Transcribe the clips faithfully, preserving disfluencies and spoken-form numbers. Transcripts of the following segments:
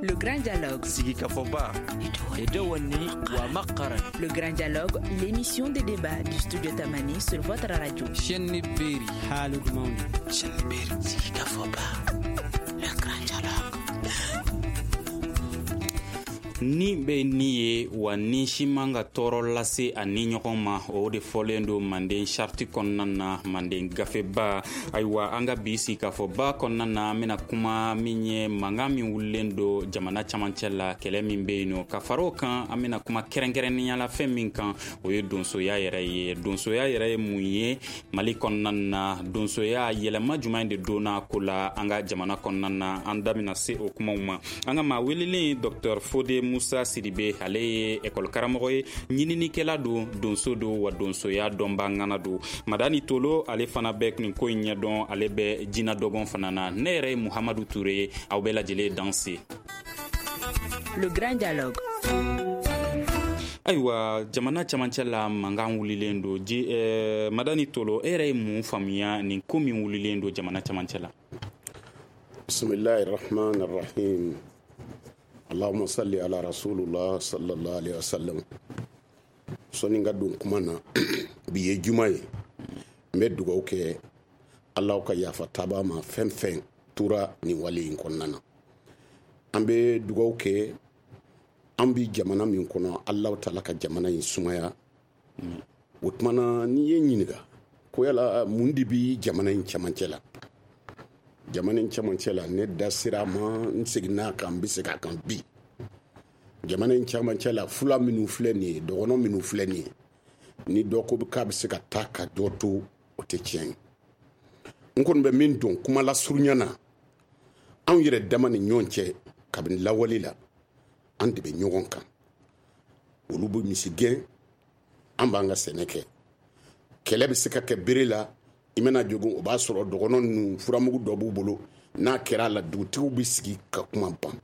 Le Grand Dialogue. Sigikafɔba. Le Grand Dialogue, l'émission de débat du studio Tamani sur votre radio. Chaîne Beri. Haalude mawde. Chaîne Beri. Sigikafɔba. Le Grand Dialogue. Ni bɛ ni ye wa ni si man ka tɔɔrɔ lase a ni ɲɔgɔn ma, o de fɔlen don Manden sariti kɔnɔna na, Manden gafeba. Ayiwa, an ka bi sigikafɔba kɔnɔna na, an bɛna kuma min ye mankan min wulilen don jamana camancɛ la, kɛlɛ min bɛ yen nɔ. Ka fara o kan, an bɛna kuma kɛrɛnkɛrɛnnenya la fɛn min kan, o ye donsoya yɛrɛ ye. Donsoya yɛrɛ ye mun ye Mali kɔnɔna na? Donsoya yɛlɛma jumɛn de donna ko la an ka jamana kɔnɔna na? An da bɛna se o kumaw ma. An ka maa welelen, Docteur Fode Musa Sidibe, ale ye ekɔli karamɔgɔ ye, ɲininikɛla don, donso don, wa donsoya dɔnba ŋana don. Madani Tolo, ale fana bɛ nin ko in ɲɛdɔn, ale bɛ jinɛ dɔgɔn fana na. Ne yɛrɛ ye Muhamadu Ture ye, aw bɛɛ lajɛlen danse. Le Grand Dialogue. Ayiwa, jamana camancɛ la, mankan wulilen don ji. eh, madani Tolo, e yɛrɛ ye mun faamuya nin ko min wulilen don jamana camancɛ la? Bismillahi rahmani rahim. Allahumma salli ala rasulullah sallallahu alaihi wasallam. Sɔnni ka don kuma na, bi ye juma ye, n bɛ dugawu kɛ Ala ka yafa taba ma fɛn fɛn tora nin wale in kɔnɔna na. An bɛ dugawu kɛ, an bi jamana min kɔnɔ, Ala taala ka jamana in sumaya. O tuma na, n'i ye ɲininka ko yala mun de bi jamana in cɛmancɛ la, jamana in cɛmancɛ la, ne da sera a ma, n seginna a kan, n bɛ segin a kan bi. Jamana in cɛmancɛ la, fula minnu filɛ nin ye, dɔgɔnɔ minnu filɛ nin ye, ni dɔ ko k'a bɛ se ka taa ka dɔ to, o tɛ tiɲɛ ye. N kɔni bɛ min dɔn kuma lasurunya na, anw yɛrɛ dama ni ɲɔgɔn cɛ, kabini lawale la, an de bɛ ɲɔgɔn kan. Olu bɛ misi gɛn, an b'an ka sɛnɛ kɛ. Kɛlɛ bɛ se ka kɛ bere la, i mana jogon, o b'a sɔrɔ dɔgɔnɔ ninnu furamugu dɔ b'u bolo. N'a kɛra a la, dugutigiw bɛ sigi ka kuma ban.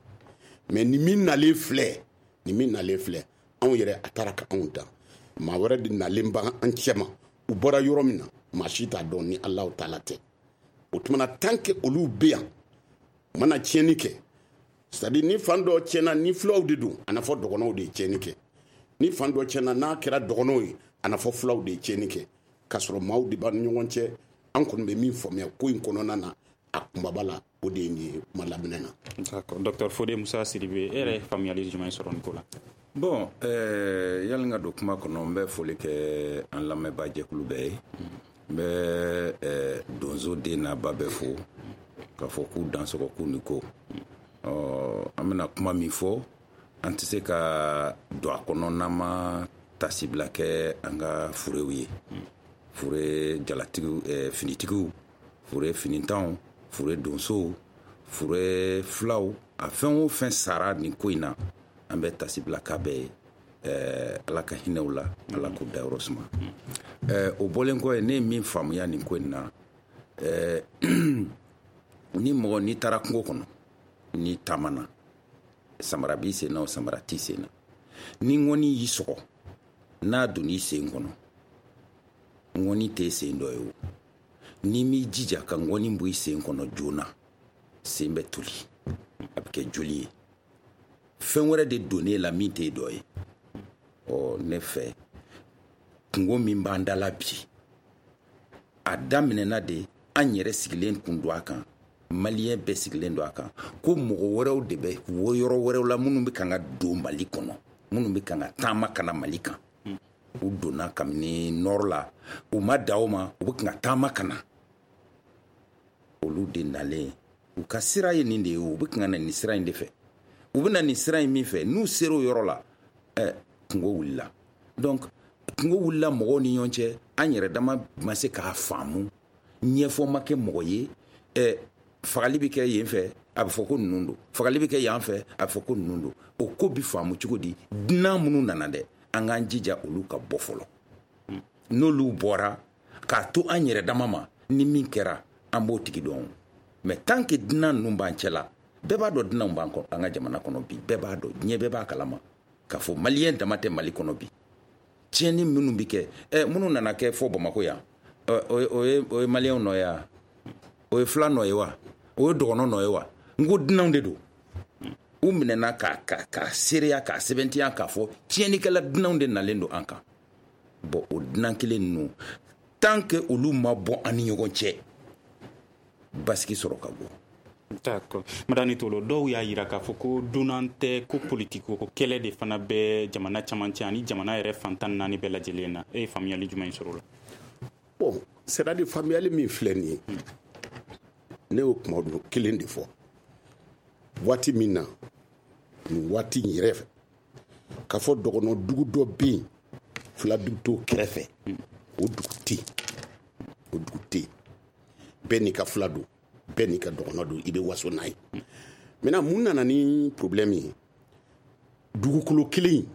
Mɛ ni min nalen filɛ, ni min nalen filɛ, anw yɛrɛ a taara ka anw dan. Maa wɛrɛ de nalen b'an cɛ ma, u bɔra yɔrɔ min na, maa si t'a dɔn ni Alahu taala tɛ. O tuma na, tant que olu bɛ yan, u mana tiɲɛni kɛ, c'est à dire ni fan dɔ tiɲɛna, ni fulaw de don, a na fɔ dɔgɔnɔw de ye tiɲɛni kɛ. Ni fan dɔ tiɲɛna, n'a kɛra dɔgɔnɔw ye, a na fɔ fulaw de ye tiɲɛni kɛ, k'a sɔrɔ maaw de b'an ni ɲɔgɔn cɛ. An kɔni bɛ min faamuya ko in kɔnɔna na, a kunbaba la, o de ye nin ye kuma laminɛ na. D'accord. Docteur Fode Musa Sidibe, e yɛrɛ ye faamuyali jumɛn sɔrɔ nin ko la? Bon, euh, yali n ka don kuma kɔnɔ, n bɛ foli kɛ an lamɛnbaa jɛkulu bɛɛ ye. N bɛ euh, donso den n'a ba bɛɛ fo k'a fɔ k'u dansɔgɔ, k'u ni ko. Ɔ, an bɛna kuma min fɔ, an tɛ se ka don a kɔnɔ n'an ma tasibila kɛ an ka furew ye, fure jalatigiw, eh, finitigiw, fure finitanw, fure donsow, fure filaw, a fɛn o fɛn sara nin ko in na, an bɛ tasibila k'a bɛɛ ye. eh, ala ka hinɛw la, Ala k'u dayɔrɔ suma. eh, o bɔlen kɔ ye, ne ye min faamuya nin ko in na, eh, ni mɔgɔ n'i taara kungo kɔnɔ, n'i taamana, samara b'i sen na o, samara t'i sen na, ni ŋɔni y'i sɔgɔ, n'a donn'i sen kɔnɔ, ŋɔni t'e sen dɔ ye o. N'i m'i jija ka ŋɔni bɔ i sen kɔnɔ joona, sen bɛ toli, a bɛ kɛ joli ye. Fɛn wɛrɛ de donn'e la min t'e dɔ ye. Ɔ, ne fɛ, kungo min b'an da la bi, a daminɛna de an yɛrɛ sigilen kun don a kan, maliyɛn bɛɛ sigilen don a kan, ko mɔgɔ wɛrɛw de bɛ yɔrɔ wɛrɛw la minnu bɛ kan ka don Mali kɔnɔ, minnu bɛ kan ka taama ka na Mali kan. U donna kabini nord la, u ma da o ma, u bɛ kan ka taama ka na. Olu de nalen, u ka sira ye nin de ye, u bɛ kan ka na nin sira in de fɛ. U bɛ na nin sira in min fɛ, n'u sera o yɔrɔ la, ɛ, kungo wulila. Donc kungo wulila mɔgɔw ni ɲɔgɔn cɛ, an yɛrɛ dama ma se k'a faamu, ɲɛfɔ ma kɛ mɔgɔ ye. Ɛ, fagali bɛ kɛ yen fɛ, a bɛ fɔ ko ninnu don, fagali bɛ kɛ yan fɛ, a bɛ fɔ ko ninnu don. O ko bɛ faamu cogo di? Dunan minnu nana dɛ, an k'an jija olu ka bɔ fɔlɔ. N'olu bɔra, k'a to an yɛrɛ dama ma, ni min kɛra, an b'o tigi dɔn. Mais tant que dunan ninnu b'an cɛ la, bɛɛ b'a dɔn dunanw b'an an ka jamana kɔnɔ bi, bɛɛ b'a dɔn, diɲɛ bɛɛ b'a kalama k'a fɔ maliyɛn dama tɛ Mali kɔnɔ bi. Tiɲɛni minnu bɛ kɛ, ɛ, minnu nana kɛ fɔ Bamakɔ yan, o ye o ye maliyɛnw nɔ ye wa? O ye fila nɔ ye wa? O ye dɔgɔnɔ nɔ ye wa? N ko dunanw de don. U minɛna ka ka ka seereya k'a sɛbɛntiya k'a fɔ tiɲɛnikɛla dunanw de nalen don an kan. Bon, o dunan kelen ninnu, tant que olu ma bɔ an ni ɲɔgɔn cɛ, basigi sɔrɔ ka bɔ. D'accord. Madani Tolo, dɔw y'a yira k'a fɔ ko dunan tɛ, ko politiki ko kɛlɛ de fana bɛ jamana caman cɛ ani jamana yɛrɛ fantan naani bɛɛ lajɛlen na. E ye faamuyali jumɛn sɔrɔ o la? Bon, c'est à dire faamuyali min filɛ nin ye, ne y'o kuma dun kelen de fɔ waati min na, nin waati in yɛrɛ fɛ, k'a fɔ dɔgɔnɔ dugu dɔ bɛ yen, fila dugu t'o kɛrɛfɛ, o dugu tɛ yen, o dugu tɛ yen. Bɛɛ n'i ka fila don, bɛɛ n'i ka dɔgɔnɔ don, i bɛ waso n'a ye. Maintenant, mun nana ni problème ye? Dugukolo kelen in,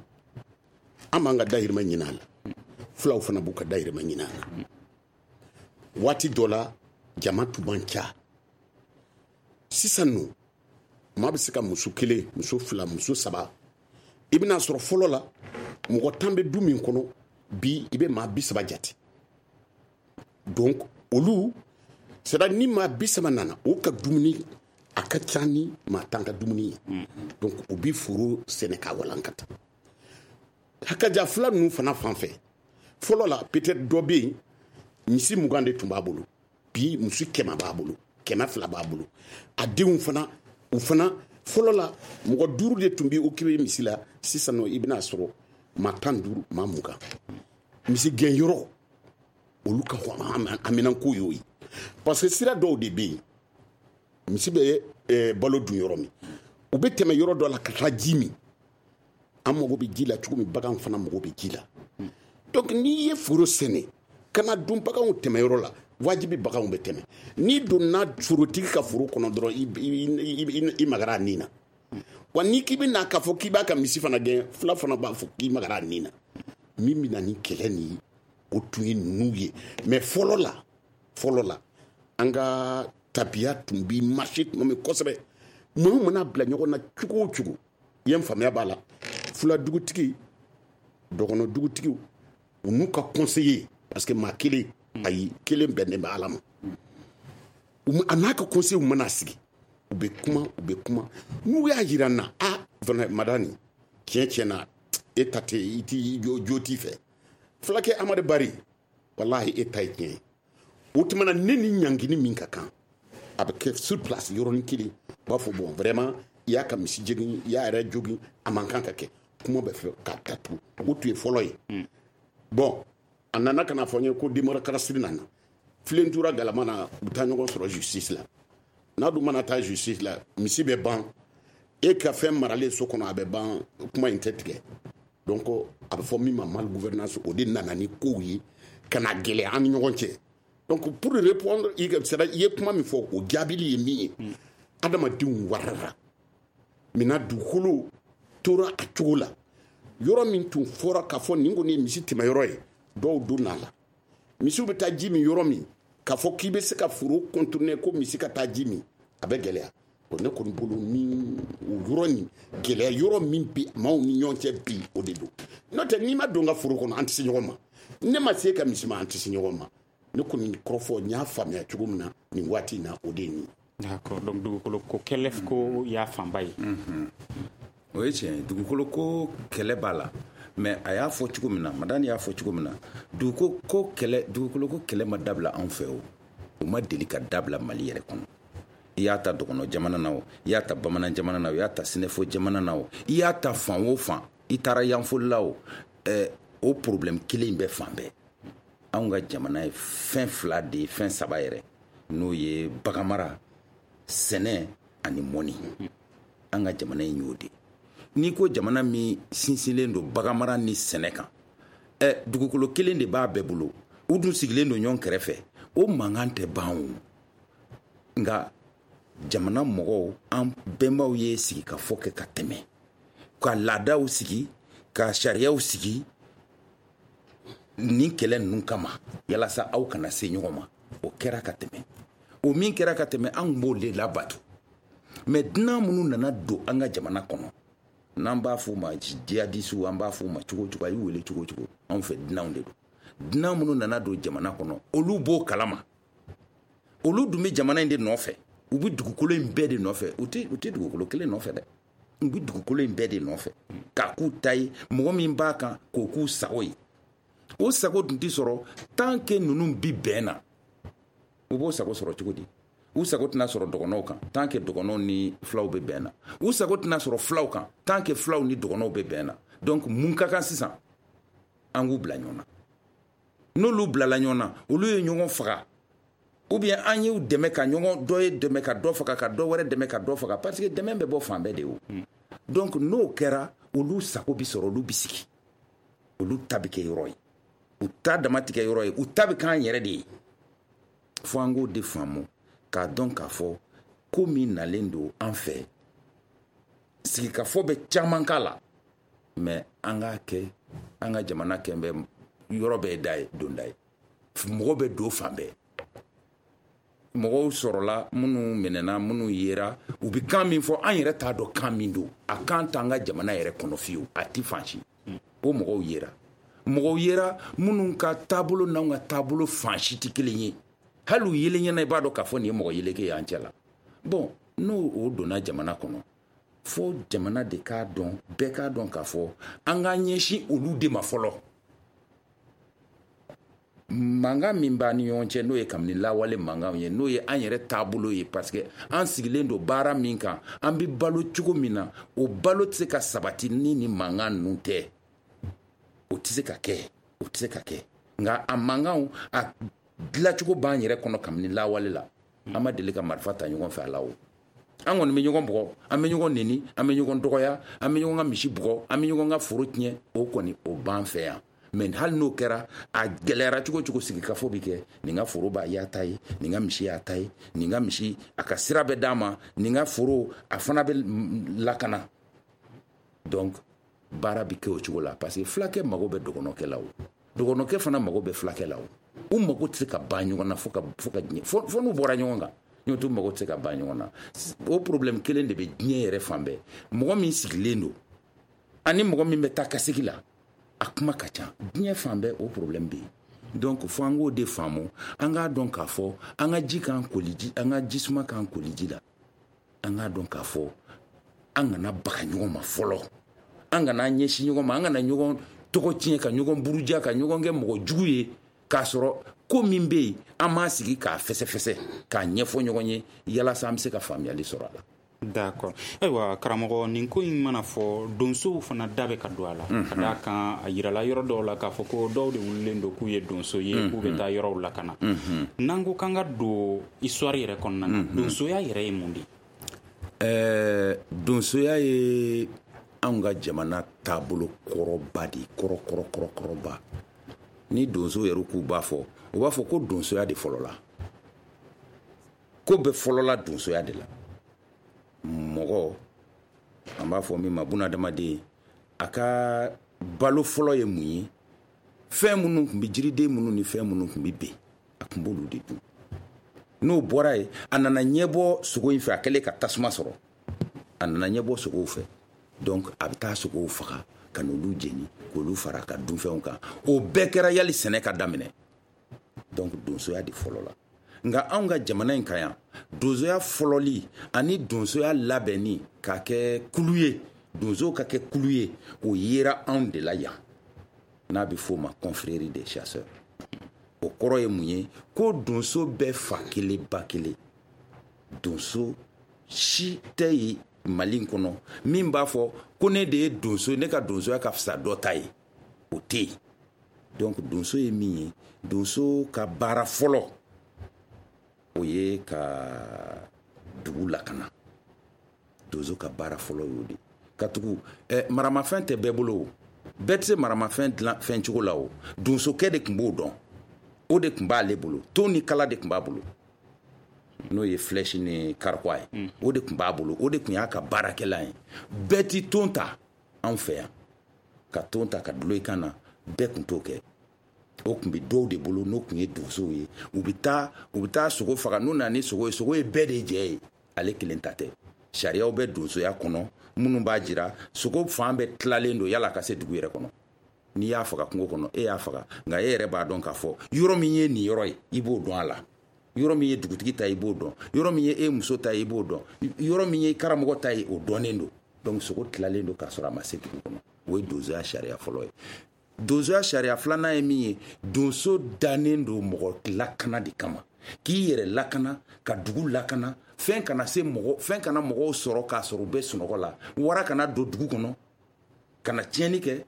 an b'an ka dahirimɛ ɲini a la, fulaw fana b'u ka dahirimɛ ɲini a la. Waati dɔ la, jama tun man ca. Sisan nɔ, maa bɛ se ka muso kelen, muso fila, muso saba. I bɛna sɔrɔ fɔlɔ la, mɔgɔ tan bɛ du min kɔnɔ, bi i bɛ maa bi saba jate. Donc olu, c'est à dire ni maa bi saba nana, o ka dumuni a ka ca ni maa tan ka dumuni ye. Donc u bi foro sɛnɛ k'a walankata. Hakaja fila ninnu fana fan fɛ, fɔlɔ la peut-être dɔ bɛ yen, misi mugan de tun b'a bolo, bi muso kɛmɛ b'a bolo, kɛmɛ fila b'a bolo. A denw fana, u fana, fɔlɔ la mɔgɔ duuru de tun bɛ occupé misi la, sisan nɔ i bɛna sɔrɔ maa tan duuru, maa mugan. Misi gɛnyɔrɔ, olu ka haminanko y'o ye, parce que sira dɔw de bɛ yen, misi bɛ eh, balo dun yɔrɔ min, u bɛ tɛmɛ yɔrɔ dɔ la ka taa ji min. An mago bɛ ji la cogo min, bagan fana mago bɛ ji la. Donc n'i ye foro sɛnɛ ka na dun baganw tɛmɛ yɔrɔ la, wajibi baganw bɛ tɛmɛ. N'i donna forotigi ka foro kɔnɔ dɔrɔn, i, i, i, i magara a nin na. Wa n'i k'i bɛ na k'a fɔ k'i b'a ka misi fana gɛn, fila fana b'a fɔ k'i magara a nin na. Min bɛ na ni kɛlɛ nin ye, o tun ye ninnu ye. Mais fɔlɔ la, fɔlɔ la, an ka tabiya tun bi marché tuma min kosɛbɛ, maaw mana bila ɲɔgɔn na cogo o cogo, i ye n faamuya b'a la, fula dugutigi, dɔgɔnɔ dugutigiw, u n'u ka conseiller, parce que maa kelen, ayi, kelen bɛnnen bɛ Ala ma, a n'a ka conseiller mana sigi, u bɛ kuma, u bɛ kuma. N'u y'a yira n na, a fana Madani, tiɲɛ tiɲɛ na, e ta tɛ, i t'i jo, jo t'i fɛ. Fulakɛ Amadu Bari, walahi e ta ye tiɲɛ ye. O tuma na, ne ni ɲangini min ka kan, a bɛ kɛ sur place yɔrɔnin kelen. U b'a fɔ bon, vraiment, i y'a ka misi jogin, i y'a yɛrɛ jogin, a man kan ka kɛ. Kuma bɛ fɛ k'a datugu. O tun ye fɔlɔ ye. Bon, a nana ka na fɔ n ye ko démocratie nana, filen tura galama na, u bɛ taa ɲɔgɔn sɔrɔ justice la. N'a dun mana taa justice la, misi bɛ ban, e ka fɛn maralen so kɔnɔ, a bɛ ban, kuma in tɛ tigɛ. Donc a bɛ fɔ min ma mal gouvernance, o de nana ni kow ye ka na gɛlɛya an ni ɲɔgɔn cɛ. Donc pour répondre, i c'est à dire i ye kuma min fɔ, o jaabili ye min ye, adamadenw warara. Maintenant, dugukolo tora a cogo la. Yɔrɔ min tun fɔra k'a fɔ nin kɔni ye misi tɛmɛyɔrɔ ye, dɔw donna a la. Misiw bɛ taa ji min yɔrɔ min, k'a fɔ k'i bɛ se ka foro contourner ko misi ka taa ji min, a bɛ gɛlɛya. Bon, ne kɔni bolo, ni o yɔrɔ nin gɛlɛya yɔrɔ min bɛ maaw ni ɲɔgɔn cɛ bi, o de don. N'o tɛ, n'i ma don n ka foro kɔnɔ, an tɛ se ɲɔgɔn ma. Ne ma se ka misi ma, an tɛ se ɲɔgɔn ma. Ne kɔni kɔrɔfɔ n y'a faamuya cogo min na nin waati in na, o de ye nin ye. D'accord. Donc dugukolo ko kɛlɛ ko y'a fanba ye. O ye tiɲɛ ye, dugukolo ko kɛlɛ b'a la. Mais a y'a fɔ cogo min na, Madani y'a fɔ cogo min na, dugukolo ko kɛlɛ, dugukolo ko kɛlɛ ma dabila anw fɛ. O o ma deli ka dabila Mali yɛrɛ kɔnɔ. I y'a ta dɔgɔnɔ jamana na, o i y'a ta bamanan jamana na, o i y'a ta sinɛfo jamana na, o i y'a ta fan o fan, i taara yanfolila, o ɛɛ o problème kelen bɛ fan bɛɛ. Anw ka jamana ye fɛn fila de ye, fɛn saba yɛrɛ, n'o ye baganmara, sɛnɛ ani mɔni. An ka jamana in y'o de. N'i ko jamana min sinsinlen don baganmara ni sɛnɛ kan, ɛ dugukolo kelen de b'a bɛɛ bolo, u dun sigilen don ɲɔgɔn kɛrɛfɛ, o mankan tɛ ban o. Nka jamana mɔgɔw, an bɛnbaw ye sigikafɔ kɛ ka tɛmɛ, ka laadaw sigi, ka sariyaw sigi nin kɛlɛ ninnu kama, yalasa aw kana se ɲɔgɔn ma. O kɛra ka tɛmɛ. O min kɛra ka tɛmɛ, an b'o de labato. Mais dunan minnu nana don an ka jamana kɔnɔ, n'an b'a f'u ma jihadisiw, an b'a f'u ma cogo cogo, a y'u wele cogo cogo, anw fɛ dunanw de don. Dunan minnu nana don jamana kɔnɔ, olu b'o kalama. Olu dun bɛ jamana in de nɔfɛ, u bɛ dugukolo in bɛɛ de nɔfɛ. U tɛ u tɛ dugukolo kelen nɔfɛ dɛ. U bɛ dugukolo in bɛɛ de nɔfɛ k'a k'u ta ye, mɔgɔ min b'a kan k'o k'u sago ye. O sago dun tɛ sɔrɔ tant que ninnu bi bɛn na. U b'o sago sɔrɔ cogo di? U sago tɛna sɔrɔ dɔgɔnɔw kan tant que dɔgɔnɔw ni fulaw bɛ bɛn na. U sago tɛna sɔrɔ fulaw kan tant que fulaw ni dɔgɔnɔw bɛ bɛn na. Donc mun ka kan sisan? An k'u bila ɲɔgɔn na. N'olu bilala ɲɔgɔn na, olu ye ɲɔgɔn faga, ou bien an y'u dɛmɛ ka ɲɔgɔn, dɔ ye dɛmɛ ka dɔ faga, ka dɔ wɛrɛ dɛmɛ ka dɔ faga, parce que dɛmɛ bɛ bɔ fan bɛɛ de o. Donc n'o kɛra, olu sago bi sɔrɔ, olu bi sigi, olu ta bɛ kɛ yɔrɔ ye, u ta dama tigɛ yɔrɔ ye, u ta bɛ k'an yɛrɛ de ye. Fo an k'o de faamu k'a dɔn k'a fɔ ko min nalen don an fɛ, sigikafɔ bɛ caman k'a la, mais an k'a kɛ an ka jamana kɛ bɛ yɔrɔ bɛɛ da ye, donda ye, mɔgɔ bɛ don fan bɛɛ. Mɔgɔw sɔrɔla minnu minɛna, minnu yera, u bɛ kan min fɔ an yɛrɛ t'a dɔn kan min don, a kan t'an ka jamana yɛrɛ kɔnɔ fiyewu, a ti fan si. O mɔgɔw yera, mɔgɔw yera minnu ka taabolo n'anw ka taabolo fan si tɛ kelen ye. Hali u yelen ɲɛna, i b'a dɔn k'a fɔ nin ye mɔgɔ yeleke ye an cɛ la. Bon, n'o o donna jamana kɔnɔ, fo jamana de k'a dɔn, bɛɛ k'a dɔn k'a fɔ an k'an ɲɛsin olu de ma fɔlɔ. Mankan min b'an ni ɲɔgɔn cɛ, n'o ye kabini lawale mankanw ye, n'o ye an yɛrɛ taabolo ye, parce que an sigilen don baara min kan, an bɛ balo cogo min na, o balo tɛ se ka sabati ni ni mankan ninnu tɛ. O tɛ se ka kɛ, o tɛ se ka kɛ. Nka a mankanw, a dilancogo b'an yɛrɛ kɔnɔ kabini lawale la. An ma deli ka marifa ta ɲɔgɔn fɛ a la o. An kɔni bɛ ɲɔgɔn bugɔ, an bɛ ɲɔgɔn neni, an bɛ ɲɔgɔn dɔgɔya, an bɛ ɲɔgɔn ka misi bugɔ, an bɛ ɲɔgɔn ka foro tiɲɛ, o kɔni o b'an fɛ yan. Mais hali n'o kɛra, a gɛlɛyara cogo cogo, sigikafɔ bɛ kɛ. Nin ka foro b'a y'a ta ye, nin ka misi y'a ta ye, nin ka misi a ka sira bɛ d'a ma, nin ka foro a fana bɛ lakana. Donc baara bɛ kɛ o cogo la, parce que fulakɛ mago bɛ dɔgɔnɔkɛ la o, dɔgɔnɔkɛ fana mago bɛ fulakɛ la o. U mago tɛ se ka ban ɲɔgɔn na fo ka fo ka diɲɛ fo fo n'u bɔra ɲɔgɔn kan. N'o t'u mago tɛ se ka ban ɲɔgɔn na. O problème kelen de bɛ diɲɛ yɛrɛ fan bɛɛ. Mɔgɔ min sigilen don ani mɔgɔ min bɛ taa ka segin la, a kuma ka ca diɲɛ fan bɛɛ, o problème bɛ yen. Donc fo an k'o de faamu, an k'a dɔn k'a fɔ an ka ji k'an koliji, an ka jisuma k'an koliji la. An k'a dɔn k'a fɔ an kana baga ɲɔgɔn ma fɔlɔ, an kana ɲɛsin ɲɔgɔn ma, an kana ɲɔgɔn tɔgɔ tiɲɛ, ka ɲɔgɔn buruja, ka ɲɔgɔn kɛ mɔgɔ jugu ye, k'a sɔrɔ ko min bɛ yen an m'a sigi k'a fɛsɛfɛsɛ, k'a ɲɛfɔ ɲɔgɔn ye, yalasa an bɛ se ka faamuyali sɔrɔ a la. D'accord. Ayiwa karamɔgɔ, nin ko in mana fɔ, donsow fana da bɛ ka don a la. Ka d'a kan a yirala yɔrɔ dɔw la k'a fɔ ko dɔw de wulilen don k'u ye donso ye, k'u bɛ taa yɔrɔw lakana. N'an ko k'an ka don histoire yɛrɛ kɔnɔna na, donsoya yɛrɛ ye mun de ye? Ɛɛ donsoya ye anw ka jamana taabolo kɔrɔba de ye, kɔrɔ kɔrɔ kɔrɔ kɔrɔba. Ni donso yɛrɛ k'u b'a fɔ, u b'a fɔ ko donsoya de fɔlɔla. Ko bɛ fɔlɔla donsoya de la. Mɔgɔ, an b'a fɔ min ma bunadamaden, a ka balo fɔlɔ ye mun ye? Fɛn minnu tun bɛ, jiriden minnu ni fɛn minnu tun bɛ ben, a tun b'olu de dun. N'o bɔra yen, a nana ɲɛbɔ sogo in fɛ, a kɛlen ka tasuma sɔrɔ, a nana ɲɛbɔ sogow fɛ. Donc a bɛ taa sogow faga ka n'olu jeni, k'olu fara a ka dunfɛnw kan. O bɛɛ kɛra yali sɛnɛ ka daminɛ. Donc donsoya de fɔlɔ la. Nka anw ka jamana in kan yan, donsoya fɔlɔli ani donsoya labɛnni k'a kɛ kulu ye, donsow ka kɛ kulu ye, o yera anw de la yan, n'a bɛ f'o ma confrérie des chasseurs. O kɔrɔ ye mun ye? Ko donso bɛɛ fa kelen ba kelen. Donso si tɛ yen Mali in kɔnɔ min b'a fɔ ko ne de ye donso, ne ka donsoya ka fisa dɔ ta ye, o tɛ yen. Donc donso ye min ye, donso ka baara fɔlɔ o ye ka dugu lakana. Donso ka baara fɔlɔ y'o de. Ka tugu eh, maramafɛn tɛ bɛɛ bolo o, bɛɛ tɛ se maramafɛn dilan fɛn cogo la o. Donsokɛ de tun b'o dɔn, o de tun b'ale bolo. Ton ni kala de tun b'a bolo, n'o ye flèche ni carquois ye, o de tun b'a bolo, o de tun y'a ka baarakɛlan ye. Bɛɛ ti ton ta anw fɛ yan, ka ton ta ka dulon i kan na, bɛɛ tun t'o kɛ. O tun bɛ dɔw de bolo, n'o tun ye donsow ye. U bɛ taa u bɛ taa sogo faga, n'u nana ni sogo ye, sogo ye bɛɛ de jɛ ye, ale kelen ta tɛ. Sariyaw bɛ donsoya kɔnɔ minnu b'a jira sogo fan bɛɛ tilalen don yala ka se dugu yɛrɛ kɔnɔ. N'i y'a faga kungo kɔnɔ, e y'a faga, nka e yɛrɛ b'a dɔn k'a fɔ yɔrɔ min ye nin yɔrɔ ye, i b'o dɔn a la. Yɔrɔ min ye dugutigi ta ye, i b'o dɔn. Yɔrɔ min ye e muso ta ye, i b'o dɔn. Yɔrɔ min ye karamɔgɔ ta ye, o dɔnnen don. Donc sogo tilalen don k'a sɔrɔ a ma se dugu kɔnɔ. O ye donsoya sariya fɔlɔ ye. Donsoya sariya filanan ye min ye, donso dannen don mɔgɔ lakana de kama, k'i yɛrɛ lakana, ka dugu lakana, fɛn kana se mɔgɔ, fɛn kana mɔgɔw sɔrɔ k'a sɔrɔ u bɛ sunɔgɔ la, wara kana don dugu kɔnɔ kana tiɲɛni kɛ,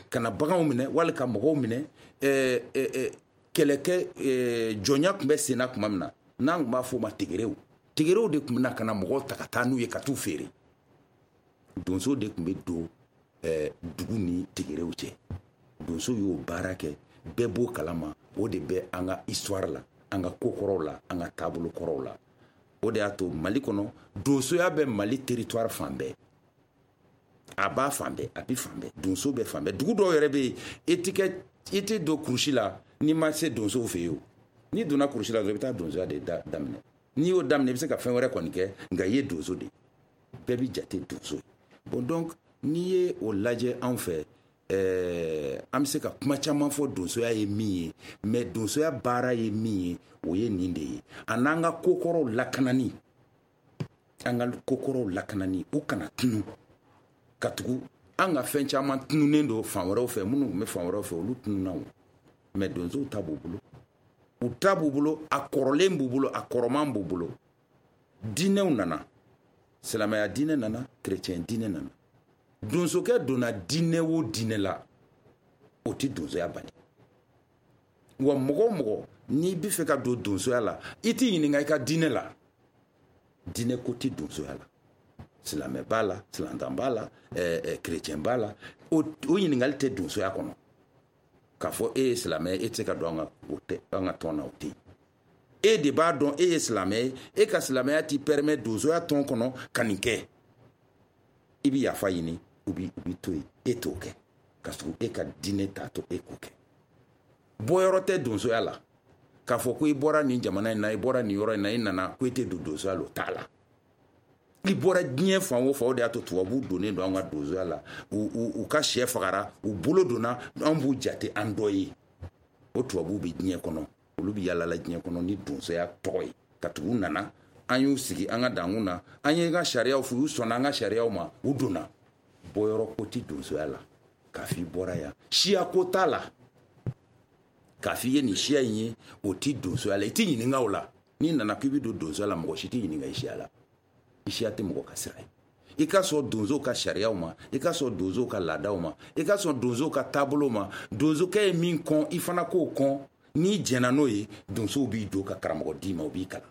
kana baganw minɛ wali ka mɔgɔw minɛ. ɛɛ ɛɛ kɛlɛkɛ ɛɛ jɔnya tun bɛ senna tuma min na, n'an tun b'a fɔ o ma tegerew, tegerew de tun bɛ na ka na mɔgɔw ta ka taa n'u ye ka t'u feere. Donso de tun bɛ don ɛɛ dugu ni tegerew cɛ. Donso y'o baara kɛ, bɛɛ b'o kalama. O de bɛ an ka histoire la, an ka kokɔrɔw la, an ka taabolo kɔrɔw la. O de y'a to Mali kɔnɔ, donsoya bɛ Mali territoire fan bɛɛ, a b'a fan bɛɛ, a bɛ fan bɛɛ, donso bɛ fan bɛɛ. Dugu dɔw yɛrɛ bɛ yen, e ti kɛ, i tɛ don kurusi la n'i ma se donsow fɛ yen o. N'i donna kurusi la dɔrɔn, i bɛ taa donsoya de da daminɛ. N'i y'o daminɛ, i bɛ se ka fɛn wɛrɛ kɔni kɛ, nka i ye donso de ye, bɛɛ bɛ jate donso ye. Bon, donc n'i ye o lajɛ anw fɛ, ɛɛ an bɛ se ka kuma caman fɔ donsoya ye min ye, mais donsoya baara ye min ye, o ye nin de ye. A n'an ka kokɔrɔw lakanani, an ka kokɔrɔw lakanani, u kana tunu, ka tugu an ka fɛn caman tununnen don fan wɛrɛw fɛ, minnu tun bɛ fan wɛrɛw fɛ, olu tununna o. Mais donsow ta b'u bolo, u ta b'u bolo, a kɔrɔlen b'u bolo, a kɔrɔman b'u bolo. Diinɛw nana, silamɛya diinɛ nana, chrétien diinɛ nana. Donsokɛ donna diinɛ o diinɛ la, o tɛ donsoya bali. Wa mɔgɔ o mɔgɔ n'i bɛ fɛ ka don donsoya la, i t'i ɲininka i ka diinɛ la. Diinɛ ko tɛ donsoya la. Silamɛ b'a la, silantan b'a la, ɛɛ chrétien b'a la, o o ɲininkali tɛ donsoya kɔnɔ. K'a fɔ e ye silamɛ, e tɛ se ka don an ka o tɛ an ka tɔn na, o tɛ yen. E de b'a dɔn e ye silamɛ ye, e ka silamɛya t'i permet donsoya tɔn kɔnɔ ka nin kɛ. I bɛ yafa ɲini, u b'i u b'i to yen, e t'o kɛ, ka sɔrɔ e ka diinɛ t'a to e k'o kɛ. Bɔyɔrɔ tɛ donsoya la, k'a fɔ ko i bɔra nin jamana in na, i bɔra nin yɔrɔ in na, i nana ko i tɛ don donsoya la, o t'a la. I bɔra diɲɛ fan o fan, o de y'a to tubabuw donnen don an ka donsoya la. U u u ka sɛ fagara, u bolo donna, an b'u jate an dɔ ye. O tubabuw bɛ diɲɛ kɔnɔ, olu bɛ yaala la diɲɛ kɔnɔ ni donsoya tɔgɔ ye. Ka tugu u nana, an y'u sigi an ka dankun na, an ye ka sariyaw f'u, u sɔnna an ka sariyaw ma, u donna. Bɔyɔrɔ ko tɛ donsoya la, k'a f'i bɔra yan, siya ko t'a la, k'a f'i ye nin siya in ye, o tɛ donsoya la. I tɛ ɲininka o la. N'i nana k'i bɛ don donsoya la, mɔgɔ si tɛ ɲininka i siya la. I siya tɛ mɔgɔ ka sira ye. I ka sɔn donsow ka sariyaw ma, i ka sɔn donsow ka laadaw ma, i ka sɔn donsow ka taabolo ma. Donsokɛ ye min kɔn, i fana k'o kɔn. N'i jɛnna n'o ye, donsow b'i don ka karamɔgɔ d'i ma, o b'i kalan.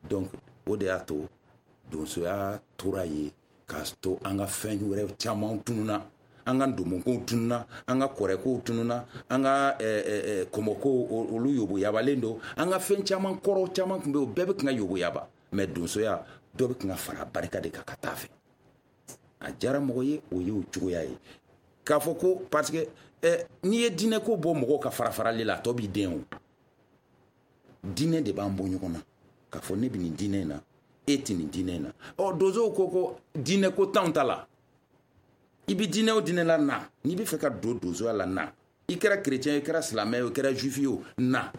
Donc o de y'a to donsoya tora yen, k'a to an ka fɛn wɛrɛ caman tununna, an ka ndomokow tununna, an ka kɔrɛkow tununna, an ka kɔmɔkow olu yoboyabalen don, an ka fɛn caman kɔrɔ caman tun bɛ yen, o bɛɛ bɛ kan ka yoboyaba. Mais donsoya dɔ bɛ kan ka fara barika de kan ka taa fɛ. A diyara mɔgɔ ye, o y'o cogoya ye. K'a fɔ ko parce que eh, n'i ye diinɛ ko bɔ mɔgɔw ka fara farali la, a tɔ b'i den o. Diinɛ de b'an bɔ ɲɔgɔn na, k'a fɔ ne bɛ nin diinɛ in na, e tɛ nin diinɛ in na. Ɔ donsow ko ko diinɛ ko t'anw ta la. I bɛ diinɛ o diinɛ la, na. N'i bɛ fɛ ka don donsoya la, na. I kɛra chrétien ye, i kɛra silamɛ ye, i kɛra juif ye o, na.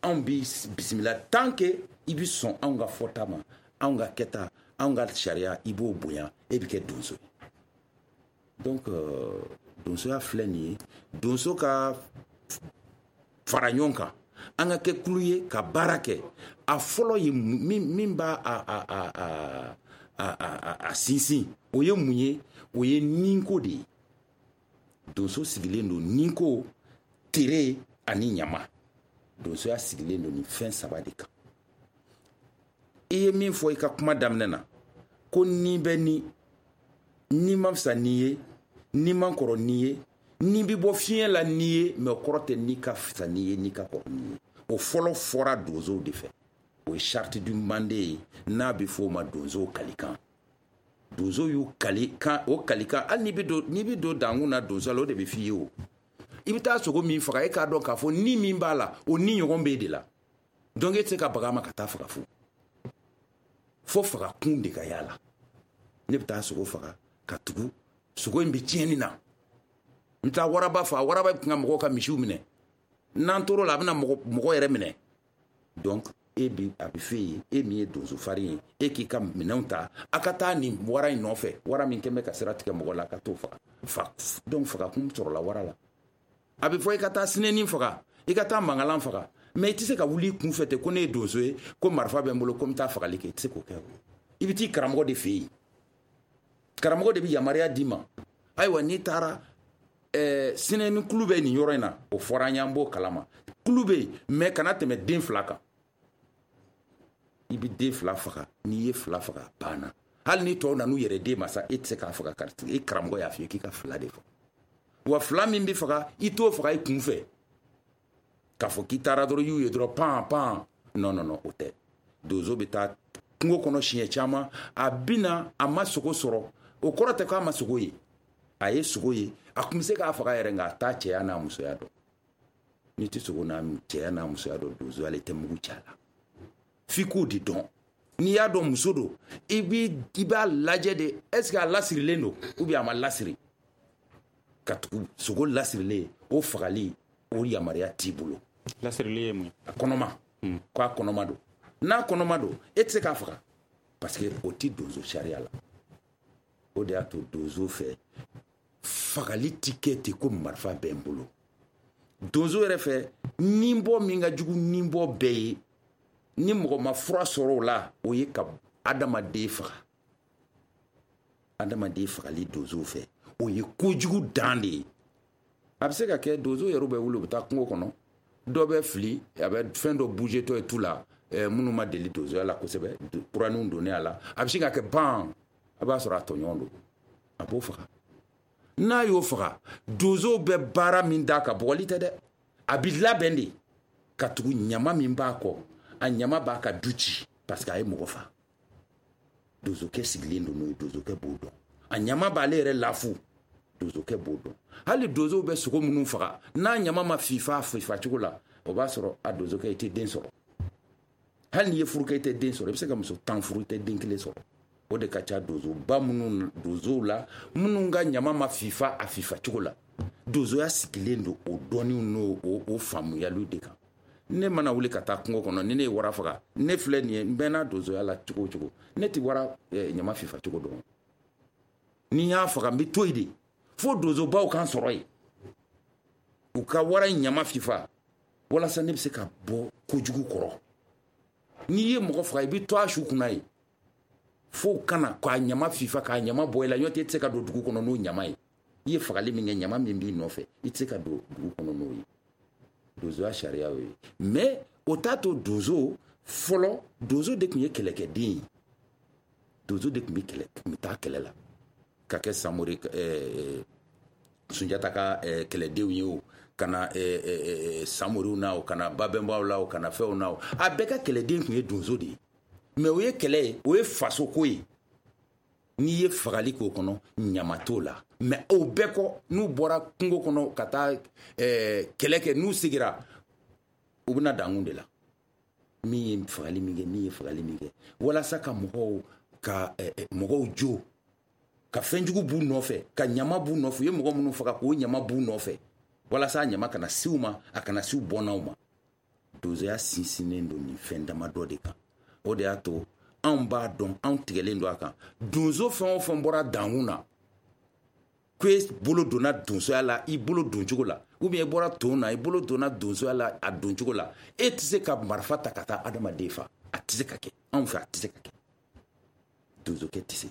Anw b'i bisimila tant que i bɛ sɔn anw ka fɔta ma, anw ka kɛta, anw ka sariya, i b'o bonya, e bɛ kɛ donso ye. Donc euh, donsoya filɛ nin ye, donso ka fara ɲɔgɔn kan, an ka kɛ kulu ye ka baara kɛ. A fɔlɔ ye min min b'a a a a a a a a sinsin, o ye mun ye? O ye ninko de ye. Donso sigilen don ninko, tere ani ɲama. Donsoya sigilen don nin fɛn saba de kan. I ye min fɔ i ka kuma daminɛ na, ko ni bɛ ni, ni ma fisa ni ye, ni man kɔrɔ ni ye, ni bɛ bɔ fiɲɛ la ni ye, mais o kɔrɔ tɛ ni ka fisa ni ye, ni ka kɔrɔ ni ye. O fɔlɔ fɔra donsow de fɛ. O ye charte du Mande ye, n'a bɛ f'o ma donsow kalikan. Donsow y'u kali kan, o kalikan, hali n'i bɛ don n'i bɛ don dankun na donso la, o de bɛ f'i ye o. I bɛ taa sogo min faga, e k'a dɔn k'a fɔ ni min b'a la, o ni ɲɔgɔn b'e de la. Donc e tɛ se ka baga a ma ka taa faga fu. Fo faga kun de ka y'a la. Ne bɛ taa sogo faga ka tugu sogo in bɛ tiɲɛni na. N taa waraba fa, waraba bɛ kan ka mɔgɔw ka misiw minɛ. N'an tor'o la, a bɛna mɔgɔ mɔgɔ yɛrɛ minɛ. Donc E bi a bɛ f'e ye, e min ye donso farin ye, e k'i ka minɛnw ta, a ka taa nin wara in nɔfɛ, wara min kɛn bɛ ka sira tigɛ mɔgɔ la, a ka t'o faga. Fa donc fagakun sɔrɔla wara la. A bɛ fɔ i ka taa sinɛnin faga, i ka taa mangalan faga, mais i tɛ se ka wuli i kun fɛ ten ko ne ye donso ye, ko marifa bɛ n bolo, ko n bɛ taa fagali kɛ, i tɛ se k'o kɛ. I bɛ t'i karamɔgɔ de fɛ yen, karamɔgɔ de bɛ yamaruya d'i ma. Ayiwa n'i taara ɛɛ sinɛnin kulu bɛ nin yɔrɔ in na, o fɔra an ye, an b'o kalama. Kulu bɛ yen, mais kana tɛmɛ den fila kan. I bɛ den fila faga, n'i ye fila faga a banna. Hali ni tɔw nan'u yɛrɛ den ma sa, e tɛ se k'a faga, karisa e karamɔgɔ y'a f'i ye k'i ka fila de faga. Wa fila min bɛ faga, i t'o faga i kun fɛ. K'a fɔ k'i taara dɔrɔn, i y'u ye dɔrɔn pan pan. Non non non, o tɛ. Donso bɛ taa kungo kɔnɔ siɲɛ caman, a bɛ na, a ma sogo sɔrɔ. O kɔrɔ tɛ k'a ma sogo ye. A ye sogo ye, a tun bɛ se k'a faga yɛrɛ, nka a t'a cɛya n'a musoya dɔn. N'i tɛ sogo n'a cɛya n'a musoya dɔn, donsoya la i tɛ mugu ci a la. F'i k'o de dɔn. N'i y'a dɔn muso don, i b'i i b'a lajɛ de, est ce que a lasirilen don ou bien a ma lasiri. Ka tugu sogo lasirilen, o fagali, o yamaruya t'i bolo. Lasirili ye mun ye? A kɔnɔma, k'a kɔnɔma don. N'a kɔnɔma don, e tɛ se k'a faga, parce que o ti donso sariya la. O de y'a to donso fɛ fagali ti kɛ ten ko marifa bɛ n bolo. Donso yɛrɛ fɛ, ninbɔ min ka jugu ninbɔ bɛɛ ye, ni mɔgɔ ma fura sɔrɔ o la, o ye ka adamaden faga. Adamaden fagali donso fɛ, o ye kojugu dan de ye. A bɛ se ka kɛ donso yɛrɛ bɛ wuli, u bɛ taa kungo kɔnɔ, dɔ bɛ fili, a bɛ fɛn dɔ bouger tɔ ye tu la, minnu ma deli donsoya la kosɛbɛ, kuraninw donnen a la, a bɛ se ka kɛ ban, a b'a sɔrɔ a tɔɲɔgɔn don, a b'o faga. N'a y'o faga, donsow bɛ baara min d'a kan, bugɔli tɛ dɛ, a bɛ labɛn de ka tugu ɲama min b'a kɔ, a ɲama b'a ka du ci, parce que a ye mɔgɔ fa. Donsokɛ sigilen don n'o ye, donsokɛ b'o dɔn. A ɲama b'ale yɛrɛ lafu, donsokɛ b'o dɔn. Hali donsow bɛ sogo minnu faga, n'a ɲama ma fifa a fifa cogo la, o b'a sɔrɔ a donsokɛ, i tɛ den sɔrɔ. Hali n'i ye furu kɛ, i tɛ den sɔrɔ. I bɛ se ka muso tan furu, i tɛ den kelen sɔrɔ. O de ka ca donsoba minnu, donsow la minnu ka ɲama ma fifa a fifa cogo la. Donsoya sigilen don o dɔnniw n'o o faamuyaliw de kan. Ne mana wuli ka taa kungo kɔnɔ, ni ne ye wara faga, ne filɛ nin ye, n bɛnna donsoya la cogo o cogo, ne tɛ wara ɲama fifa cogo dɔn. Ni n y'a faga, n bɛ to yen de fo donsobaw kan sɔrɔ yen, u ka wara in ɲama fifa, walasa ne bɛ se ka bɔ kojugu kɔrɔ. N'i ye mɔgɔ faga, i bɛ to a su kunna yen fo kana k'a ɲama fifa, k'a ɲama bɔ i la. N'o tɛ, i tɛ se ka don dugu kɔnɔ n'o ɲama ye. I ye fagali min kɛ, ɲama min b'i nɔfɛ, i tɛ se ka don dugu kɔnɔ n'o ye. Donsoya sariya y'o ye. Mais o t'a to donso fɔlɔ, donso de tun ye kɛlɛkɛden ye. Donso de tun bɛ kɛlɛ, tun bɛ taa kɛlɛ la ka kɛ Samori ɛɛ Sunjata ka ɛɛ kɛlɛdenw ye, o ka na ɛɛ Samoriw na, o ka na Babɛnbaw la, o ka na fɛnw na, o a bɛɛ ka kɛlɛden tun ye donso de ye. Mais o ye kɛlɛ ye, o ye fasoko ye. N'i ye fagali k'o kɔnɔ, ɲama t'o la. Mais o bɛɛ kɔ, n'u bɔra kungo kɔnɔ ka taa ɛɛ kɛlɛ kɛ, n'u seginna, u bɛna dankun de la, min ye fagali min kɛ, min ye fagali min kɛ, walasa ka mɔgɔw ka ɛɛ mɔgɔw jo, ka fɛnjugu b'u nɔfɛ, ka ɲama b'u nɔfɛ. U ye mɔgɔ minnu faga, k'o ɲama b'u nɔfɛ, walasa a ɲama kana siw ma, a kana siw bɔnnaw ma. Donsoya sinsinnen don nin fɛn damadɔ de kan. O de y'a to anw b'a dɔn, anw tigɛlen don a kan. Donso fɛn o fɛn bɔra dankun na, ko e bolo donna donsoya la i bolo doncogo la, ou bien i bɔra ton na, i bolo donna donsoya la a doncogo la, e tɛ se ka marifa ta ka taa adamaden fa. A tɛ se ka kɛ anw fɛ, a tɛ se ka kɛ. Donsokɛ tɛ se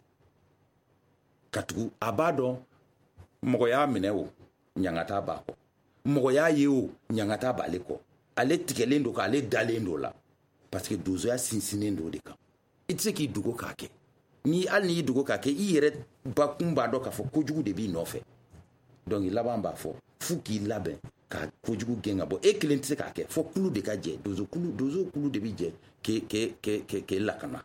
ka tugu a b'a dɔn mɔgɔ y'a minɛ, o ɲangata b'a kɔ. Mɔgɔ y'a ye, o ɲangata b'ale kɔ. Ale tigɛlen don, k'ale dalen don la, parce que donsoya sinsinnen don o de kan. I tɛ se k'i dogo k'a kɛ. Ni hali n'i y'i dogo k'a kɛ, i yɛrɛ bakun b'a dɔn k'a fɔ kojugu de b'i nɔfɛ. Donc laban b'a fɔ f'u k'i labɛn ka kojugu gɛn ka bɔ. E kelen tɛ se k'a kɛ, fo kulu de ka jɛ. Donso kulu, donso kulu de bɛ jɛ k'e k'e k'e k'e lakana.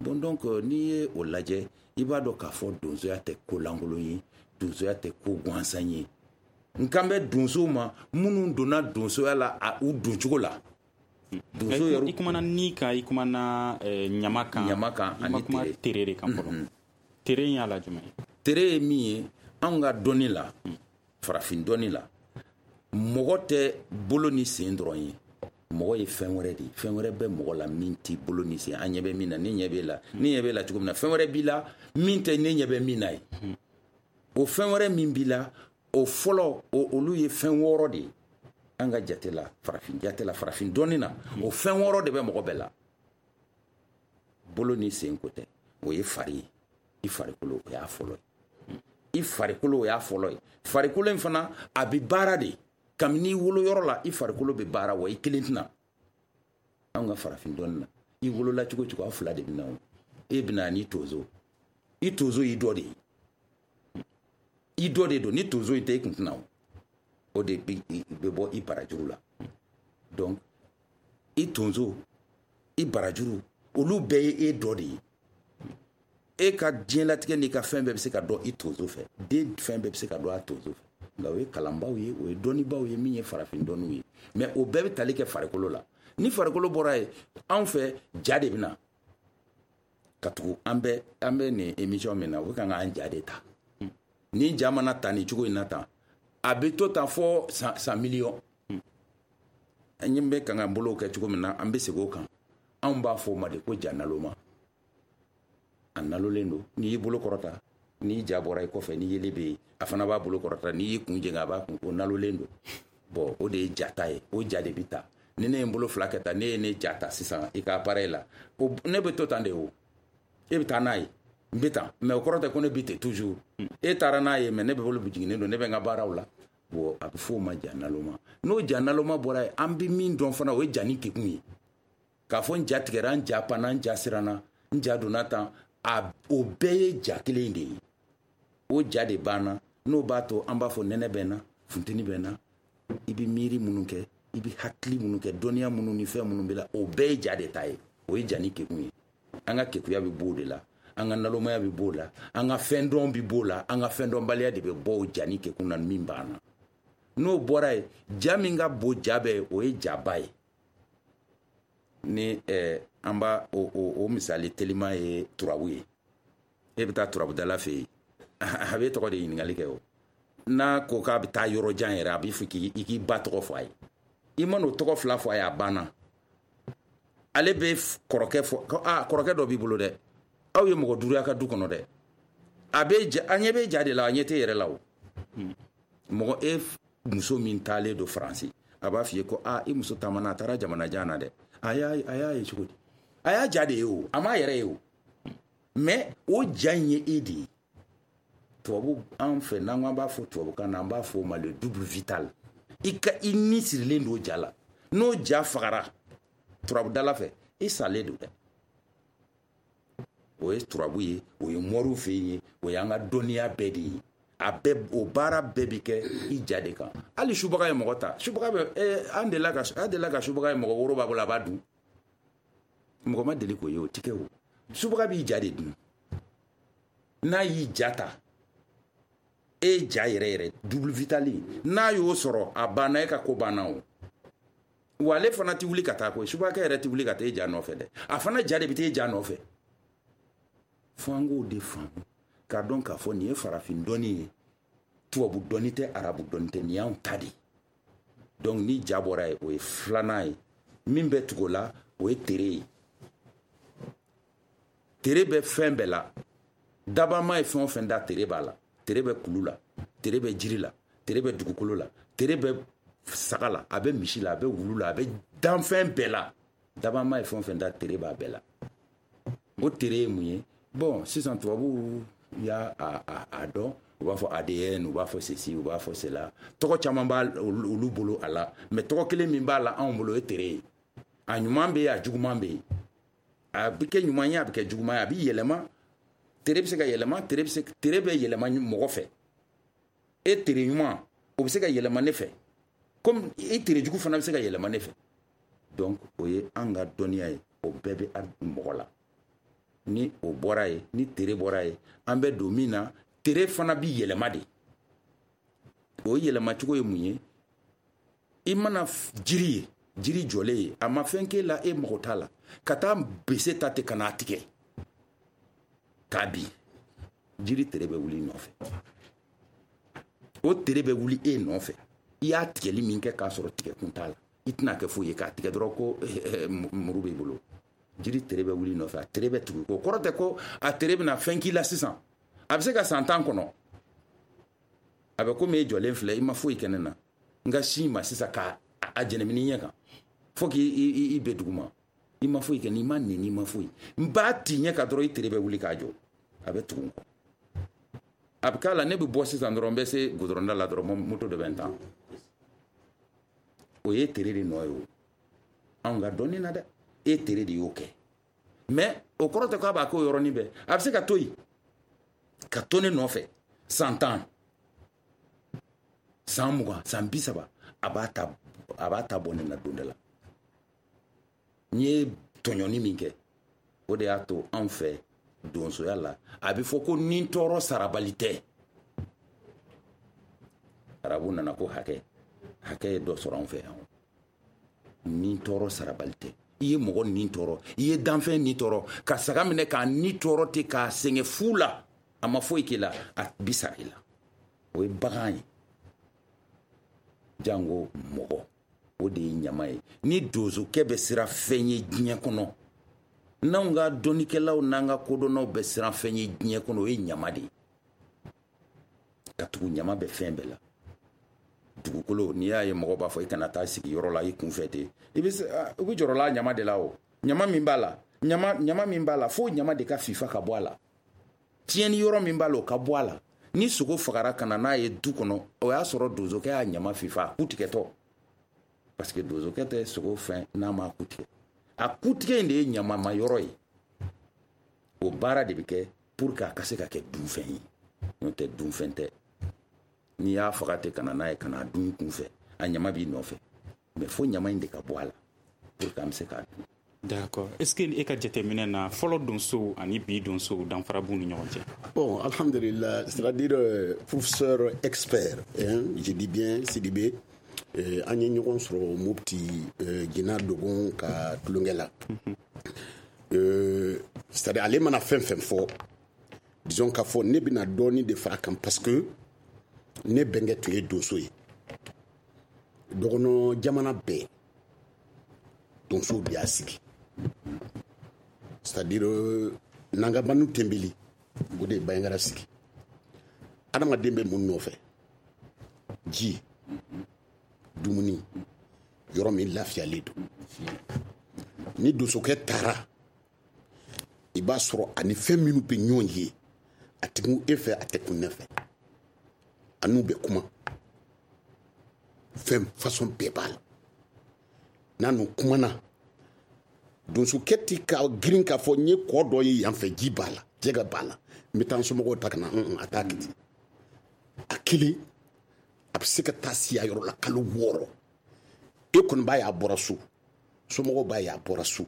Bon, donc n'i ye o lajɛ, i b'a dɔn k'a fɔ donsoya tɛ ko lankolon ye, donsoya tɛ ko gansan ye. N kan bɛ donsow ma minnu donna donsoya la a u doncogo la. Donso yɛrɛ, i kumana ni kan, i kumana ɲama kan, ɲama kan. I ma kuma tere de kan fɔlɔ. Tere in y'a la jumɛn ye? Tere ye min ye, anw ka dɔnni la, farafin dɔnni la, mɔgɔ tɛ bolo ni sen dɔrɔn ye. Mɔgɔ ye fɛn wɛrɛ de ye, fɛn wɛrɛ bɛ mɔgɔ la min t'i bolo ni sen. An ɲɛ bɛ min na, ne ɲɛ b'e la, ne ɲɛ b'e la cogo min na, fɛn wɛrɛ b'i la min tɛ ne ɲɛ bɛ min na ye. O fɛn wɛrɛ min b'i la, o fɔlɔ, olu ye fɛn wɔɔrɔ de ye an ka jate la, farafin jate la, farafin dɔnni na, o fɛn wɔɔrɔ de bɛ mɔgɔ bɛɛ la. Bolo ni sen ko tɛ, o ye fari ye. I farikolo, o y'a fɔlɔ ye. I farikolo, o y'a fɔlɔ ye. Farikolo in fana, a bɛ baara de. Kabini i wolo yɔrɔ la, i farikolo bɛ baara, wa i kelen tɛna. Anw ka farafin dɔnni na, i wolola cogo cogo, aw fila de bɛ na o. E bɛna n'i tonso. I tonso y'i dɔ de ye. I dɔ de don, ni tonso in tɛ, i kun tɛna o. O de bɛ bɔ i barajuru la. Donc i tonso, i barajuru, olu bɛɛ ye e dɔ de ye. E ka diɲɛlatigɛ n'i ka fɛn bɛɛ bɛ se ka dɔn i tonso fɛ. Den fɛn bɛɛ bɛ se ka dɔn a tonso fɛ. Nka o ye kalanbaw ye, o ye dɔnnibaw ye min ye farafin dɔnniw ye. Mais o bɛɛ bɛ tali kɛ farikolo la. Ni farikolo bɔra yen, anw fɛ ja de bɛ na. Ka tugu an bɛ an bɛ nin émission min na, o bɛ kan k'an ja de ta. Ni ja mana ta nin cogo in na tan, a bɛ to tan fɔ san san miliyɔn. An ɲɛ bɛ kan k'an bolow kɛ cogo min na, an bɛ segin o kan. Anw b'a fɔ o ma de ko ja naloma. A nalolen don. N'i y'i bolo kɔrɔta, n'i ja bɔra i kɔfɛ, ni yelen bɛ yen, a fana b'a bolo kɔrɔta. N'i y'i kun jɛngɛ, a b'a kun, o nalolen don. Bon, o de ye ja ta ye. O ja de bɛ ta. Ni ne ye n bolo fila kɛ tan, ne ye ne ja ta sisan i ka appareil la, o ne bɛ to tan de o. E bɛ taa n'a ye, n bɛ tan. Mais o kɔrɔ tɛ ko ne bɛ ten toujours. E taara n'a ye, mais ne bɛ bolo jiginnen don, ne bɛ n ka baaraw la. Bon, a bɛ f'o ma ja naloma. N'o ja naloma bɔra yen, an bɛ min dɔn fana, o ye ja ni kekun ye. K'a fɔ n ja tigɛra, n ja panna, n ja siranna, n ja donna tan, a o bɛɛ ye ja kelen de ye. O ja de banna. N'o b'a to an b'a fɔ nɛnɛ bɛ n na, funteni bɛ n na. I bɛ miiri minnu kɛ, i bɛ hakili minnu kɛ, dɔnniya minnu ni fɛn minnu bɛ la, o bɛɛ ye ja de ta ye. O ye ja ni kekun ye. An ka kekuya bɛ b'o de la, an ka nalomaya bɛ b'o la, an ka fɛn dɔn bɛ b'o la, an ka fɛn dɔnbaliya de bɛ bɔ o ja ni kekun na min b'an na. N'o bɔra yen, ja min ka bon ja bɛɛ ye, o ye jaba ye. Ni eh, an b'a o, o, o misali teliman ye turabu ye. E bɛ taa turabudala fɛ yen, a bɛ tɔgɔ de ɲininkali kɛ o. N'a ko k'a bɛ taa yɔrɔ jan yɛrɛ, a b'i fɔ k'i i k'i ba tɔgɔ fɔ a ye. I man'o tɔgɔ fila fɔ a ye, a banna. Ale bɛ kɔrɔkɛ fɔ, ko aa kɔrɔkɛ dɔ b'i bolo dɛ, aw ye mɔgɔ duuru y'a ka du kɔnɔ dɛ. A bɛ ja, a ɲɛ bɛ ja de la, a ɲɛ tɛ yɛrɛ la o. Mɔgɔ e muso min taalen don Faransi, a b'a f'i ye ko aa i muso taamana, a taara jamana jan na dɛ. A y'a a y'a ye cogo di? A y'a ja de ye o, a m'a yɛrɛ ye o. Mais o ja in ye e de ye. Tubabu an fɛ, n'an ko an b'a fɔ tubabukan na, an b'a fɔ o ma le double vital. I ka i ni sirilen don ja la. N'o ja fagara turabudala fɛ, i salen don dɛ. O ye turabu ye, o ye moriw fɛ yen ye, o y'an ka dɔnniya bɛɛ de ye. A bɛɛ, o baara bɛɛ bɛ kɛ i ja de kan. Hali subaga ye mɔgɔ ta, subaga bɛ eh, an delila ka an delila ka subaga ye mɔgɔ woro b'a bolo, a b'a dun. Mɔgɔ ma deli k'o ye, o ti kɛ o. Subaga b'i ja de dun. N'a y'i ja ta, e ja yɛrɛ yɛrɛ double vital, n'a y'o sɔrɔ, a banna, e ka ko banna o. Wa ale fana ti wuli ka taa koyi, subakɛ yɛrɛ ti wuli ka taa e ja nɔfɛ dɛ. A fana ja de bɛ taa e ja nɔfɛ. Fo an k'o de faamu, k'a dɔn k'a fɔ nin ye farafin dɔnni ye, tubabu dɔnni tɛ, arabu dɔnni tɛ, nin y'anw ta de ye. Donc ni ja bɔra yen, o ye filanan ye. Min bɛ tugu o la, o ye tere ye. Tere bɛ fɛn bɛɛ la. Dabama ye fɛn o fɛn da, tere b'a la. Tere bɛ kulu la, tere bɛ jiri la, tere bɛ dugukolo la, tere bɛ saga la, a bɛ misi la, a bɛ wulu la, a bɛ danfɛn bɛɛ la. Dabama ye fɛn o fɛn da, tere b'a bɛɛ la. O tere ye mun ye? Bon, sisan tubabuw y'a a, a, a dɔn, u b'a fɔ A D N, u b'a fɔ ceci, u b'a fɔ cela. Tɔgɔ caman b'a olu bolo a la, mais tɔgɔ kelen min b'a la anw bolo, o ye tere ye. A ɲuman bɛ yen, a juguman bɛ yen. A bɛ kɛ ɲuman ye, a bɛ kɛ juguman ye, a bɛ yɛlɛma. Tere bɛ se ka yɛlɛma, tere bɛ se, tere bɛ yɛlɛma mɔgɔ fɛ. E tere ɲuman, o bɛ se ka yɛlɛma ne fɛ. Comme e tere jugu fana bɛ se ka yɛlɛma ne fɛ. Donc o ye an ka dɔnniya ye, o bɛɛ bɛ mɔgɔ la. Ni o bɔra yen, ni tere bɔra yen, an bɛ don min na, tere fana bi yɛlɛma de. O yɛlɛmacogo ye mun ye? I mana jiri ye, jiri jɔlen ye, a ma fɛn k'e la, e mago t'a la, ka taa bese ta ten ka n'a tigɛ k'a bin, jiri tere bɛ wuli i nɔfɛ. O tere bɛ wuli e nɔfɛ. I y'a tigɛli min kɛ k'a sɔrɔ tigɛkun t'a la, I tɛna kɛ foyi ye k'a tigɛ dɔrɔn ko muru b'i bolo. Jiri tere bɛ wuli nɔfɛ, a tere bɛ tugu. O kɔrɔ tɛ ko a tere bɛna fɛn k'i la sisan. A bɛ se ka san tan kɔnɔ. A bɛ komi e jɔlen filɛ, i ma foyi kɛ ne na. N ka sin ma sisan k'a a jɛnɛmini ɲɛ kan. Fo k'i i bɛ dugu ma. I ma foyi kɛ, n'i ma nɛni, i ma foyi. N b'a ti ɲɛ kan dɔrɔn, i tere bɛ wuli k'a jɔ. A bɛ tugu n kɔ. A bɛ k'a la, ne bɛ bɔ sisan dɔrɔn, n bɛ se goudron da la dɔrɔn, moto dɔ bɛ n ta. O ye tere de nɔ ye o. Anw ka dɔnni na dɛ, e tere de y'o kɛ. Mais o kɔrɔ tɛ k'a b'a k'o yɔrɔnin bɛɛ. A bɛ se ka to yen, ka to ne nɔfɛ san tan, san mugan, san bi saba, a b'a ta, a b'a ta bɔ ne na don dɔ la. N ye tɔɲɔni min kɛ, o de y'a to anw fɛ donsoya la, a bɛ fɔ ko ni tɔɔrɔ sarabali tɛ. Arabu nana ko hakɛ, hakɛ ye dɔ sɔrɔ anw fɛ yan. Ni tɔɔrɔ sarabali tɛ. I ye mɔgɔ ni tɔɔrɔ, i ye danfɛn ni tɔɔrɔ, ka saga minɛ k'a ni tɔɔrɔ ten, k'a sɛgɛn fu la, a ma foyi k'i la, a bi sara i la. O ye bagan ye. Jango mɔgɔ, o de ye ɲama ye. Ni donsokɛ bɛ siran fɛn ye diɲɛ kɔnɔ, n'anw ka dɔnnikɛlaw n'an ka kodɔnnaw bɛ siran fɛn ye diɲɛ kɔnɔ, o ye ɲama de ye. Ka tugu ɲama bɛ fɛn bɛɛ la. Dugukolo, n'i y'a ye mɔgɔ b'a fɔ i kana taa sigi yɔrɔ la i kunfɛ ten, i bɛ i bɛ jɔrɔ la ɲama de la o. Ɲama min b'a la, ɲama ɲama min b'a la, fo ɲama de ka fifa ka bɔ a la. Tiɲɛni yɔrɔ min b'a la, o ka bɔ a la. Ni sogo fagara ka na n'a ye du kɔnɔ, o y'a sɔrɔ donsokɛ y'a ɲama fifa, a ku tigɛtɔ. Parce que donsokɛ tɛ sogo fɛn n'a m'a ku tigɛ. A ku tigɛ in de ye ɲamama yɔrɔ ye. O baara de bɛ kɛ pour que a ka se ka kɛ dunfɛn ye. N'o tɛ, dunfɛn tɛ. N'i y'a faga ten ka na n'a ye ka n'a dun i kunfɛ, a ɲama b'i nɔfɛ. Mais fo ɲama in de ka bɔ a la pour que an bɛ se k'a dun. D'accord. Est-ce que e ka jateminɛ na, fɔlɔ donsow ani bi donsow, danfara b'u ni ɲɔgɔn cɛ? Bon, alhamdulillah, c'est-à-dire euh, professeur expert, hein, je dis bien Sidibé, euh, an ye ɲɔgɔn sɔrɔ Mopti euh, Jina Dogon ka tulonkɛ la. Euh, c'est-à-dire ale mana fɛn fɛn fɔ, disons k'a fɔ ne bɛna dɔɔni de fara kan, parce que ne bɛnkɛ tun ye donso ye. Dɔgɔnɔ jamana bɛɛ, donsow de y'a sigi. C'est-à-dire euh, Nangabanu Tembeli, o de ye Bayangara sigi. Adamaden bɛ mun nɔfɛ? Ji, dumuni, yɔrɔ min lafiyalen don. Ni donsokɛ taara, i b'a sɔrɔ ani fɛn minnu bɛ ɲɔgɔn ye, a tɛ kun e fɛ, a tɛ kun ne fɛ. A n'u bɛ kuma, fɛn façon bɛɛ b'a la. N'a n'u kumana, donsokɛ ti ka girin k'a fɔ n ye kɔ dɔ ye yan fɛ, ji b'a la, jɛgɛ b'a la, n bɛ taa n somɔgɔw ta ka na. A t'a kɛ ten. A kelen, a bɛ se ka taa siya yɔrɔ la kalo wɔɔrɔ. E kɔni b'a ye a bɔra so, somɔgɔw b'a ye a bɔra so,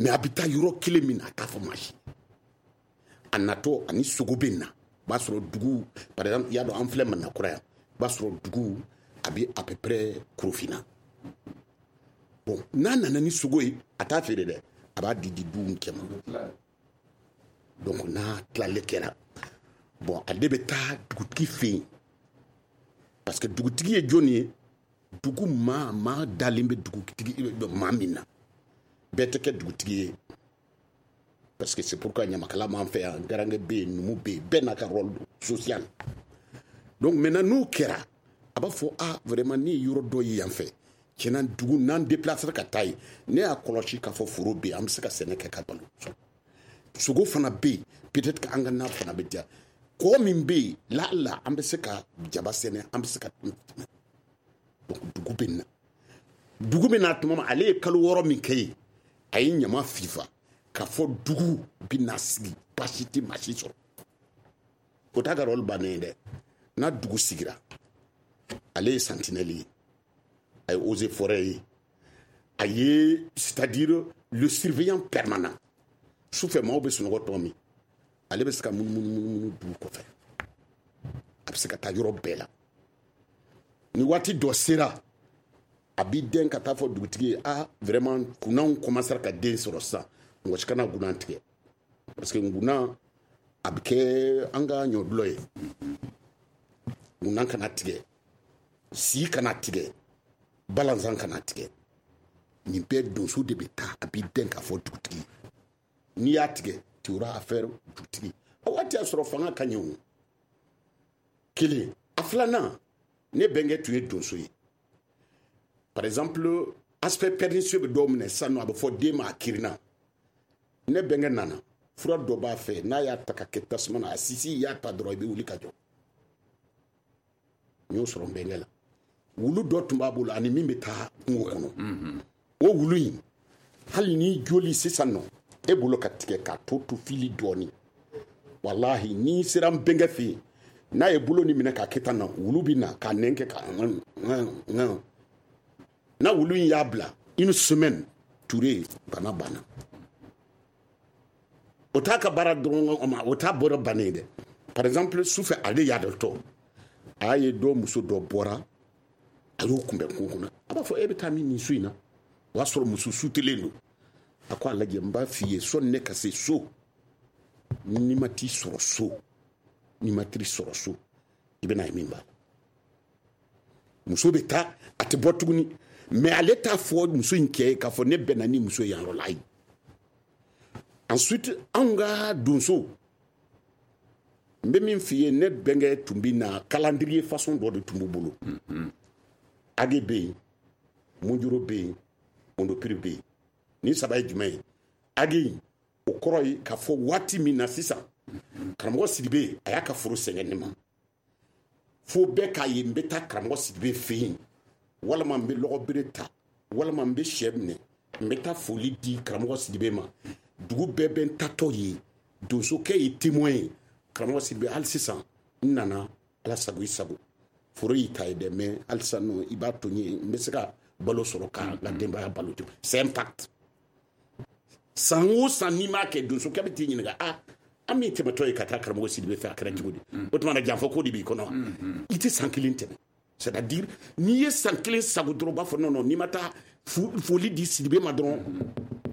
mais a bɛ taa yɔrɔ kelen min na, a t'a fɔ maa si. A natɔ ani sogo bɛ na, o b'a sɔrɔ dugu, par exemple, i y'a dɔn an filɛ Manakura yan, o b'a sɔrɔ dugu a bɛ à peu près Korofina. Bon, n'a nana ni sogo ye, a t'a feere dɛ, a b'a di di duw cɛ ma. Donc n'a tilalen kɛra, bon, ale bɛ taa dugutigi fɛ yen, parce que dugutigi ye jɔnni ye? Dugu maa maa dalen bɛ dugutigi maa min na, bɛɛ tɛ kɛ dugutigi ye. Parce que c'est pourquoi ɲamakala m'an fɛ yan, garankɛ bɛ yen, numu bɛ yen, bɛɛ n'a ka rôle social. Donc maintenant, n'o kɛra, a b'a fɔ: ah, vraiment, ne ye yɔrɔ dɔ ye yan fɛ, tiɲɛna, dugu n'an déplacer ka taa yen, ne y'a kɔlɔsi k'a fɔ foro bɛ yen, an bɛ se ka sɛnɛ kɛ ka balo, sogo fana bɛ yen, peut-être que an ka na fana bɛ diya, kɔ min bɛ yen la la, an bɛ se ka jaba sɛnɛ, an bɛ se ka. Donc dugu bɛ na, dugu bɛ na tuma min, ale ye kalo wɔɔrɔ min kɛ yen, a ye ɲama fifa k'a fɔ dugu bɛ na sigi, baasi tɛ maa si sɔrɔ. O t'a ka rôle bannen ye dɛ. N'a dugu sigira, ale ye sentinelle ye, a ye eaux et forêt ye, a ye, c'est-à-dire le surveillant permanent. Sufɛ, maaw bɛ sunɔgɔ tuma min, ale bɛ se ka munumunu munumunu dugu kɔfɛ, a bɛ se ka taa yɔrɔ bɛɛ la. Ni waati dɔ sera, a b'i den ka taa fɔ dugutigi ye: ah, vraiment, kunanw commencera ka den sɔrɔ sisan, mɔgɔ si kana gunan tigɛ, parce que gunan a bɛ kɛ an ka ɲɔdulɔ ye. Gunan kana tigɛ, si kana tigɛ, balanzan kana tigɛ. Nin bɛɛ donso de bɛ taa a b'i dɛn k'a fɔ dugutigi n'i y'a tigɛ tu auras affaire dugutigi. A waati y'a sɔrɔ fanga ka ɲɛ o. Kelen a filanan, ne bɛnkɛ tun ye donso ye. Par exemple, aspect pernicieux bɛ dɔw minɛ sisan nɔ, a bɛ fɔ den ma a kirinna. Ne bɛnkɛ nana, fura dɔ b'a fɛ, n'a y'a ta ka kɛ tasuma na, a sisi y'a ta dɔrɔn i bɛ wuli ka jɔ. N y'o sɔrɔ n bɛnkɛ la. Wulu dɔ tun b'a bolo ani min bɛ taa kungo kɔnɔ. O wulu in, hali ni joli sisan nɔ, e bolo ka tigɛ k'a to to fili dɔɔni. Walahi, n'i sera n bɛnkɛ fɛ yen, n'a ye bolo ni minɛ k'a kɛ tan na, wulu bɛ na k'a nɛn kɛ ka n'a wulu in y'a bila une semaine, Touré bana banna. O t'a ka baara dɔrɔn, o t'a bɔra bannen ye dɛ. Par exemple, sufɛ ale y'a dɔ tɔ, a y'a ye dɔ muso dɔ bɔra, a y'o kunbɛn kungo kɔnɔ. A b'a fɔ e bɛ taa min nin su in na? O y'a sɔrɔ muso sutelen don. A ko a lajɛ, n b'a f'i ye, sɔnni ne ka se so, n'i ma t'i sɔrɔ so, n'i ma t'i sɔrɔ so, i bɛna ye min b'a la. Muso bɛ taa, a tɛ bɔ tuguni. Mais ale t'a fɔ muso in cɛ ye k'a fɔ ne bɛnna ni muso yan yɔrɔ la, ayi. Ensuite, anw ka donso, n bɛ min f'i ye, ne bɛnkɛ tun bɛ na calendrier façon dɔ de tun b'u bolo. Age bɛ yen, Mojoro bɛ yen, Ondopiri bɛ yen. Nin saba ye jumɛn ye? Age in, o kɔrɔ ye k'a fɔ waati min na sisan, karamɔgɔ Sidibe a y'a ka foro sɛgɛn ne ma. Fo bɛɛ k'a ye n bɛ taa karamɔgɔ Sidibe fɛ yen, walima n bɛ lɔgɔbere ta, walima n bɛ sɛ minɛ, n bɛ taa foli di karamɔgɔ Sidibe ma. Dugu bɛɛ bɛ n tatɔ ye, donsokɛ ye témoin ye. Karamɔgɔ Sidibe, hali sisan n nana, ala sago i sago, foro y'i ta ye dɛ, mais hali sisan nɔ i b'a to n ye, n bɛ se ka balo sɔrɔ ka n ka denbaya balo ten. C'est un pacte. San o san n'i m'a kɛ, donsokɛ bɛ t'i ɲininka, ah, an min tɛmɛtɔ ye ka taa karamɔgɔ Sidibe fɛ, a kɛra cogo di? O tuma na janfa ko de b'i kɔnɔ. I tɛ san kelen tɛmɛ. C'est-à-dire, n'i ye san kelen sago dɔrɔn, u b'a fɔ non non, n'i ma taa foli di Sidibe ma dɔrɔn,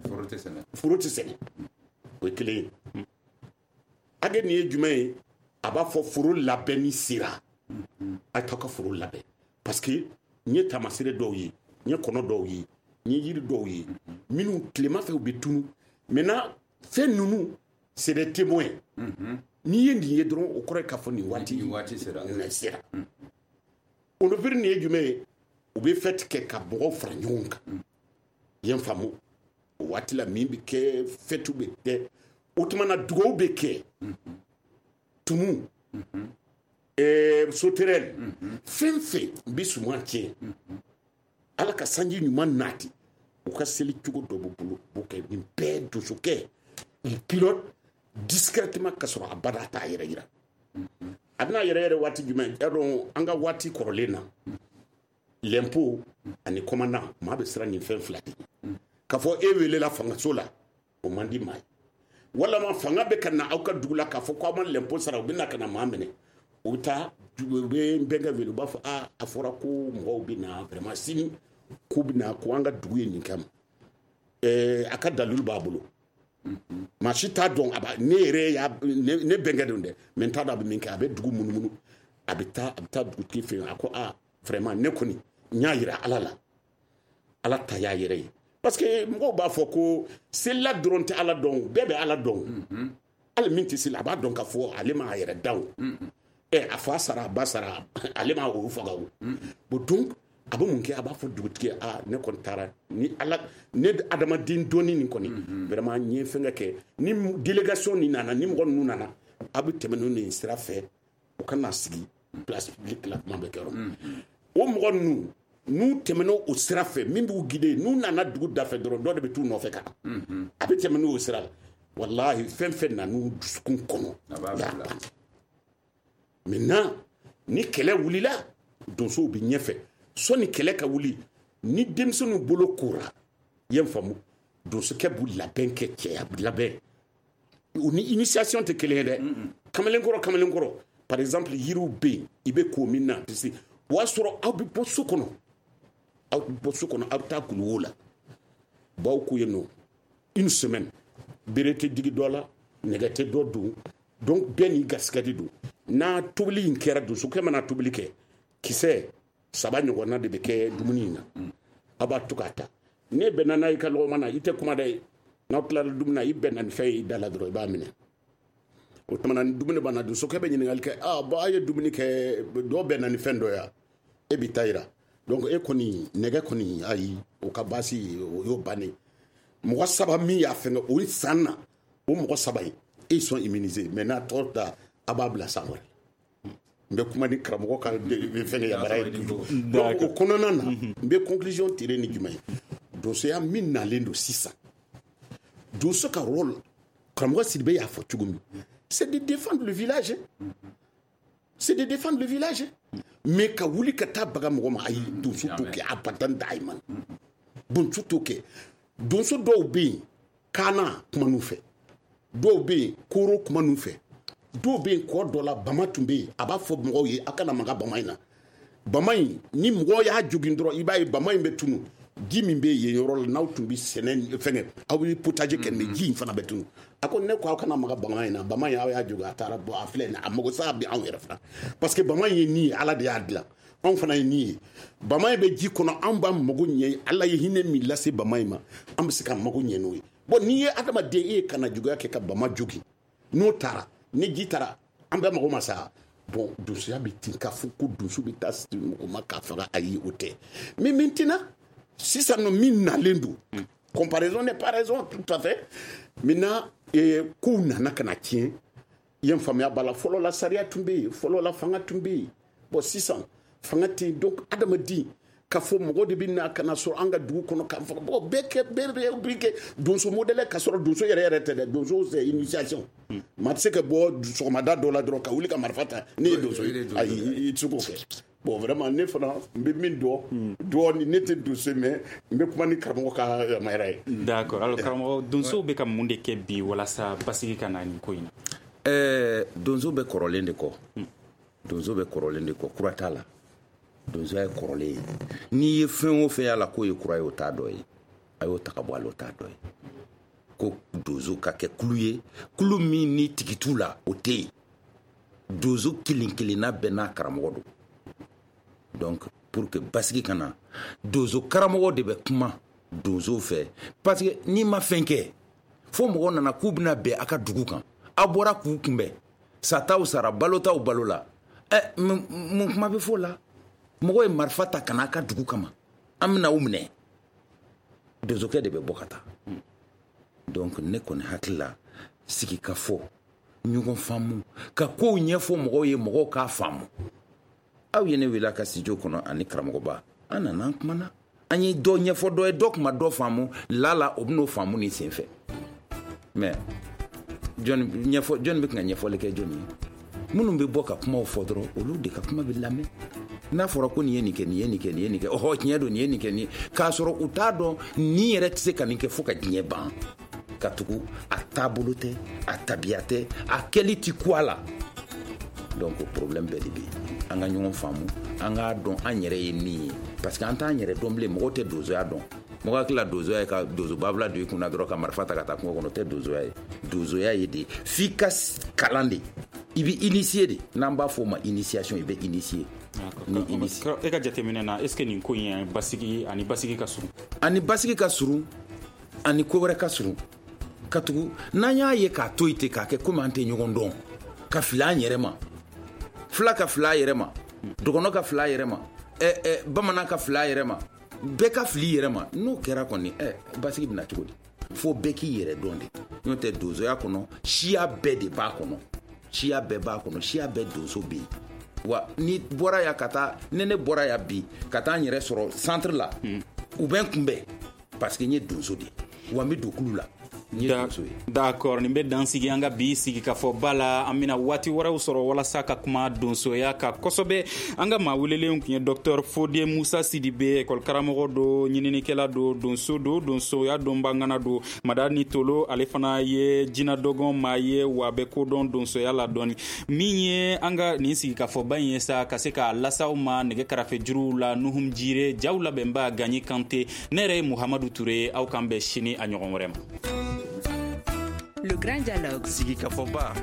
foro tɛ sɛnɛ. Foro tɛ sɛnɛ. O ye kelen ye. Age nin ye jumɛn ye? A b'a fɔ foro labɛnni sera. A t'aw ka foro labɛn. Parce que n ye taamasere dɔw ye, n ye kɔnɔ dɔw ye, n ye yiri dɔw ye, minnu tilema fɛ u bɛ tunu. Maintenant, fɛn ninnu, c'est des témoins. N'i ye nin ye dɔrɔn, o kɔrɔ ye k'a fɔ nin waati nin waati sera. Sera. Ondopiri nin ye jumɛn ye? U bɛ fête kɛ ka mɔgɔw fara ɲɔgɔn kan. I ye n faamu? O waati la min bɛ kɛ, fête bɛ kɛ. O tuma na dugawu bɛ kɛ. Tumu, ɛɛ sauterelle, fɛn fɛn bɛ suman tiɲɛ. Ala ka sanji ɲuman nati. U ka seli cogo dɔ b'u bolo, u b'o kɛ. Nin bɛɛ donsokɛ, il pilote discrètement ka sɔrɔ a bada t'a yɛrɛ yira. A bɛna yɛrɛ yɛrɛ waati jumɛn? E dɔn an ka waati kɔrɔlen na, l'impôt ani commandant, maa bɛ siran nin fɛn fila de. K'a fɔ e welela fangaso la, o man di maa ye. Walama fanga bɛ ka na aw ka dugu la k'a fɔ k'aw ma l'impôt sara, u bɛ na ka na maa minɛ. U bɛ taa, u bɛ n bɛnkɛ wele, u b'a fɔ a a fɔra ko mɔgɔw bɛ na vraiment sini, k'u bɛ na ko an ka dugu ye nin kɛ ma. Ɛɛ a ka dalilu b'a bolo. Maa si t'a dɔn, a b'a ne yɛrɛ y'a ne ne bɛnkɛ don dɛ, mais n t'a dɔn a bɛ min kɛ. A bɛ dugu munumunu, a bɛ taa a bɛ taa dugutigi fɛ yen. A ko a vraiment ne kɔni n y'a yira Ala la, Ala ta y'a yɛrɛ ye. Parce que mɔgɔw b'a fɔ ko selila dɔrɔn tɛ Ala dɔn, bɛɛ bɛ Ala dɔn. Hali min tɛ seli, a b'a dɔn k'a fɔ ale m'a yɛrɛ da o. Ɛ a fa sara, a ba sara, ale m'a o faga o. Bon donc a bɛ mun kɛ? A b'a fɔ dugutigi ye, a ne kɔni taara ni Ala, ne adamaden dɔnni nin kɔni, vraiment n ye fɛnkɛ kɛ. Ni délégation nin nana, ni mɔgɔ ninnu nana, a bɛ tɛmɛ n'u nin sira fɛ, u ka na sigi place publique la, kuma bɛ kɛ yɔrɔ min. O mɔgɔ ninnu, n'u tɛmɛna o sira fɛ, min b'u guider, n'u nana dugu dafɛ dɔrɔn, dɔ de bɛ t'u nɔfɛ ka na. A bɛ tɛmɛ n'o sira la. Walahi, fɛn fɛn nan'u dusukun kɔnɔ, A b'a y'a bila. ban. Maintenant, ni kɛlɛ wulila, donsow bɛ ɲɛfɛ. Sɔnni kɛlɛ ka wuli, ni denmisɛnninw bolo kora, i ye n faamu, donsokɛ b'u labɛn kɛ cɛya labɛn. U ni initiation tɛ kelen ye dɛ. Kamalenkɔrɔ, kamalenkɔrɔ. Par exemple, yiriw bɛ yen, i bɛ ko min na, parce que o y'a sɔrɔ aw bɛ bɔ so kɔnɔ. Aw bɛ bɔ so kɔnɔ, aw bɛ taa kuluwo la. Baw ko yen nɔ, une semaine, bere tɛ digi dɔ la, nɛgɛ tɛ dɔ don. Donc bɛɛ n'i garisɛgɛ de don. N'a tobili in kɛra, donsokɛ mana tobili kɛ, kisɛ saba ɲɔgɔnna de bɛ kɛ dumuni in na. Aw b'a to k'a ta. Ne bɛnna n'a ye ka lɔgɔma na, i tɛ kuma dɛ. N'aw tilala dumuni na, i bɛnna ni fɛn ye i da la dɔrɔn, i b'a minɛ. O tuma na ni dumuni banna, donsokɛ bɛ ɲininkali kɛ, ah bon, a ye dumuni kɛ, dɔ bɛnna ni fɛn dɔ ye, e b'i ta yira. Donc e kɔni nɛgɛ kɔni, ayi, o ka baasi o y'o bannen. Mɔgɔ saba min y'a fɛngɛ o san na, o mɔgɔ saba in, ils sont immunisés. Mais n'a tɔ ta, a b'a bila san wɛrɛ. N bɛ kuma ni karamɔgɔ ka fɛngɛ yamaruya ye toujours. Donc o kɔnɔna na, n bɛ conclusion tirer ni jumɛn ye? Donsoya min nalen don sisan, donso ka rôle, karamɔgɔ Sidibe y'a fɔ cogo min, c'est de défendre le village, c'est de défendre le village. Mais ka wuli ka taa baga mɔgɔ ma, ayi, donso t'o kɛ abadan daiman. Donso t'o kɛ. Donso dɔw bɛ yen, kaana kuma n'u fɛ, dɔw bɛ yen, koro kuma n'u fɛ, dɔw bɛ yen, kɔ dɔ la bama tun bɛ yen, a b'a fɔ mɔgɔw ye, a kana maga bama in na. Bama in, ni mɔgɔ y'a jogin dɔrɔn, i b'a ye bama in bɛ tunu. Ji min bɛ yen yɔrɔ la, n'aw tun bɛ sɛnɛ fɛngɛ, aw bɛ potager kɛ, mais ji in fana bɛ tunu. A ko ne ko aw kana maga bama in na, bama in aw y'a jogin, a taara bɔ, a filɛ nin, a mago sa bɛ anw yɛrɛ fana. Parce que bama in ye nin ye, Ala de y'a dilan, anw fana ye nin ye. Bama in bɛ ji kɔnɔ, anw b'an mago ɲɛ, Ala ye hinɛ min lase bama in ma, an bɛ se k'an mago ɲɛ n'o ye. Bon, n'i ye adamaden, e ye kana juguya kɛ ka bama jogin, n'o taara, ni ji taara, an bɛɛ mago ma sa. Bon, donsoya bɛ ten k'a fɔ ko donso bɛ taa mɔgɔ ma k'a faga, ayi, o tɛ. Mais maintenant, sisan nɔ min nalen don, comparaison n'est pas raison, tout à fait. Maintenant, eh, kow nana ka na tiɲɛ. I ye n faamuya b'a la, fɔlɔ la sariya tun bɛ yen, fɔlɔ la fanga tun bɛ yen. Bon, sisan fanga tɛ yen, donc adamaden k'a fɔ mɔgɔ de bɛ na ka na sɔrɔ an ka dugu kɔnɔ k'an faga. Bon, bɛɛ kɛ, bɛɛ bɛ kɛ donso modèle, ka sɔrɔ donso yɛrɛ yɛrɛ tɛ dɛ. Donso c'est initiation. Maa tɛ se ka bɔ sɔgɔmada dɔ la dɔrɔn ka wuli ka marifa ta, ne ye donso ye, ayi, i tɛ se k'o kɛ. Bon, vraiment, ne fana n bɛ min dɔn dɔɔni, ne tɛ donso, mais n bɛ kuma ni karamɔgɔ ka yamaruya ye. D'accord. Alors karamɔgɔ, donsow bɛ ka mun de kɛ bi walasa basigi ka na nin ko in na? Ɛɛ, donso bɛ kɔrɔlen de kɔ. Donso bɛ kɔrɔlen de kɔ, kura t'a la. Donsoya ye kɔrɔlen ye. N'i ye fɛn o fɛn y'a la k'o ye kura ye, o t'a dɔ ye. A y'o ta ka bɔ a la, o t'a dɔ ye. Ko donso ka kɛ kulu ye, kulu min ni tigi t'u la, o tɛ yen. Donso kelen kelenna bɛɛ n'a karamɔgɔ don. Donc pour que basigi ka na, donso karamɔgɔ de bɛ kuma donso fɛ, parce que n'i ma fɛn kɛ, fo mɔgɔ nana k'u bɛna bɛn a ka dugu kan, aw bɔra k'u kunbɛn, sataw sara, balotaw balo la, ɛ, mun kuma bɛ fɔ o la? Mɔgɔ ye marifa ta ka n'a ka dugu kama, an bɛna aw minɛ, donsokɛ de bɛ bɔ ka taa. Donc ne kɔni hakili la, sigi ka fɔ, ɲɔgɔn faamu, ka kow ɲɛfɔ mɔgɔw ye, mɔgɔw k'a faamu. Aw ye ne wele a ka studio kɔnɔ ani karamɔgɔba, an nana an kumana, an ye dɔ ɲɛfɔ dɔ ye, dɔ kuma dɔ faamu lala, o bɛn'o faamu nin senfɛ. Mais jɔnni ɲɛfɔ, jɔnni bɛ ka ɲɛfɔli kɛ jɔnni ye? Minnu bɛ bɔ ka kumaw fɔ dɔrɔn, olu de ka kuma bɛ lamɛn. N'a fɔra ko nin ye nin kɛ, nin ye nin kɛ, nin ye nin kɛ, ɔhɔ, tiɲɛ don, nin ye nin kɛ, nin ye, k'a sɔrɔ u t'a dɔn nin yɛrɛ tɛ se ka nin kɛ fo ka diɲɛ ban. Ka tugu a taabolo tɛ, a tabiya tɛ, a kɛli ti ku a la. Donc o problème bɛɛ de bɛ yen. An ka ɲɔgɔn faamu, an k'a dɔn an yɛrɛ ye min ye, parce que an t'an yɛrɛ dɔn bilen. Mɔgɔw tɛ donsoya dɔn. Mɔgɔ hakili la donsoya ye ka donso babila don i kunna dɔrɔn ka marifa ta ka taa kungo kɔnɔ, o tɛ donsoya ye. Donsoya ye de f'i ka kalan de, i bɛ initier de, n'an b'a fɔ o ma initiation, i bɛ initier. Ni initier. E ka jateminɛ na, est ce que nin ko in basigi ani basigi ka surun? Ani basigi ka surun, ani ko wɛrɛ ka surun. Ka tugu n'an y'a ye k'a to yen ten, k'a kɛ komi an tɛ ɲɔgɔn dɔn, ka fili an yɛrɛ ma, fila ka fili a yɛrɛ ma, dɔgɔnɔ ka fili a yɛrɛ ma, ɛ ɛ bamanan ka fili a yɛrɛ ma, bɛɛ ka fili i yɛrɛ ma. N'o kɛra kɔni, ɛ, basigi bɛna cogo di? Fo bɛɛ k'i yɛrɛ dɔn de. N'o tɛ, donsoya kɔnɔ, siya bɛɛ de b'a kɔnɔ, siya bɛɛ b'a kɔnɔ, siya bɛɛ donso bɛ yen. Wa ni bɔra yan ka taa, ne ne bɔra yan bi ka taa n yɛrɛ sɔrɔ centre la, u bɛ n kunbɛn parce que n ye donso de ye, wa n bɛ don kulu la. D'accord, nin bɛ dan sigi an ka bi sigi ka fɔ ba la. An bɛna waati wɛrɛw sɔrɔ walasa ka kuma donsoya ka kosɛbɛ. An ka maa welelen tun ye docteur Fode Musa Sidibe, école karamɔgɔ don, ɲininikɛla don, donso don, donsoya dɔnbangana don. Madani Tolo, ale fana ye jinɛ dɔgɔn maa ye, wa bɛ kodɔn donsoya la dɔɔni. Min ye an ka nin sigi ka fɔ ba in ye sa, ka se k'a lasaw ma nɛgɛ karafe juruw la, Nuhum Jire, jaw labɛnba Gaɲi Kante, ne yɛrɛ ye Muhamadu Ture. Aw k'an bɛn sini a ɲɔgɔn wɛrɛ ma. Le Grand Dialogue. Sigikafɔba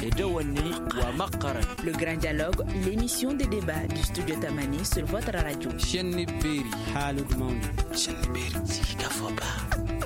idawani wa maqaran. Le Grand Dialogue, l'émission de débat du studio Tamani sur votre radio. Shenni Beri. Haalude mawni. Shenni Beri. Sigikafɔba.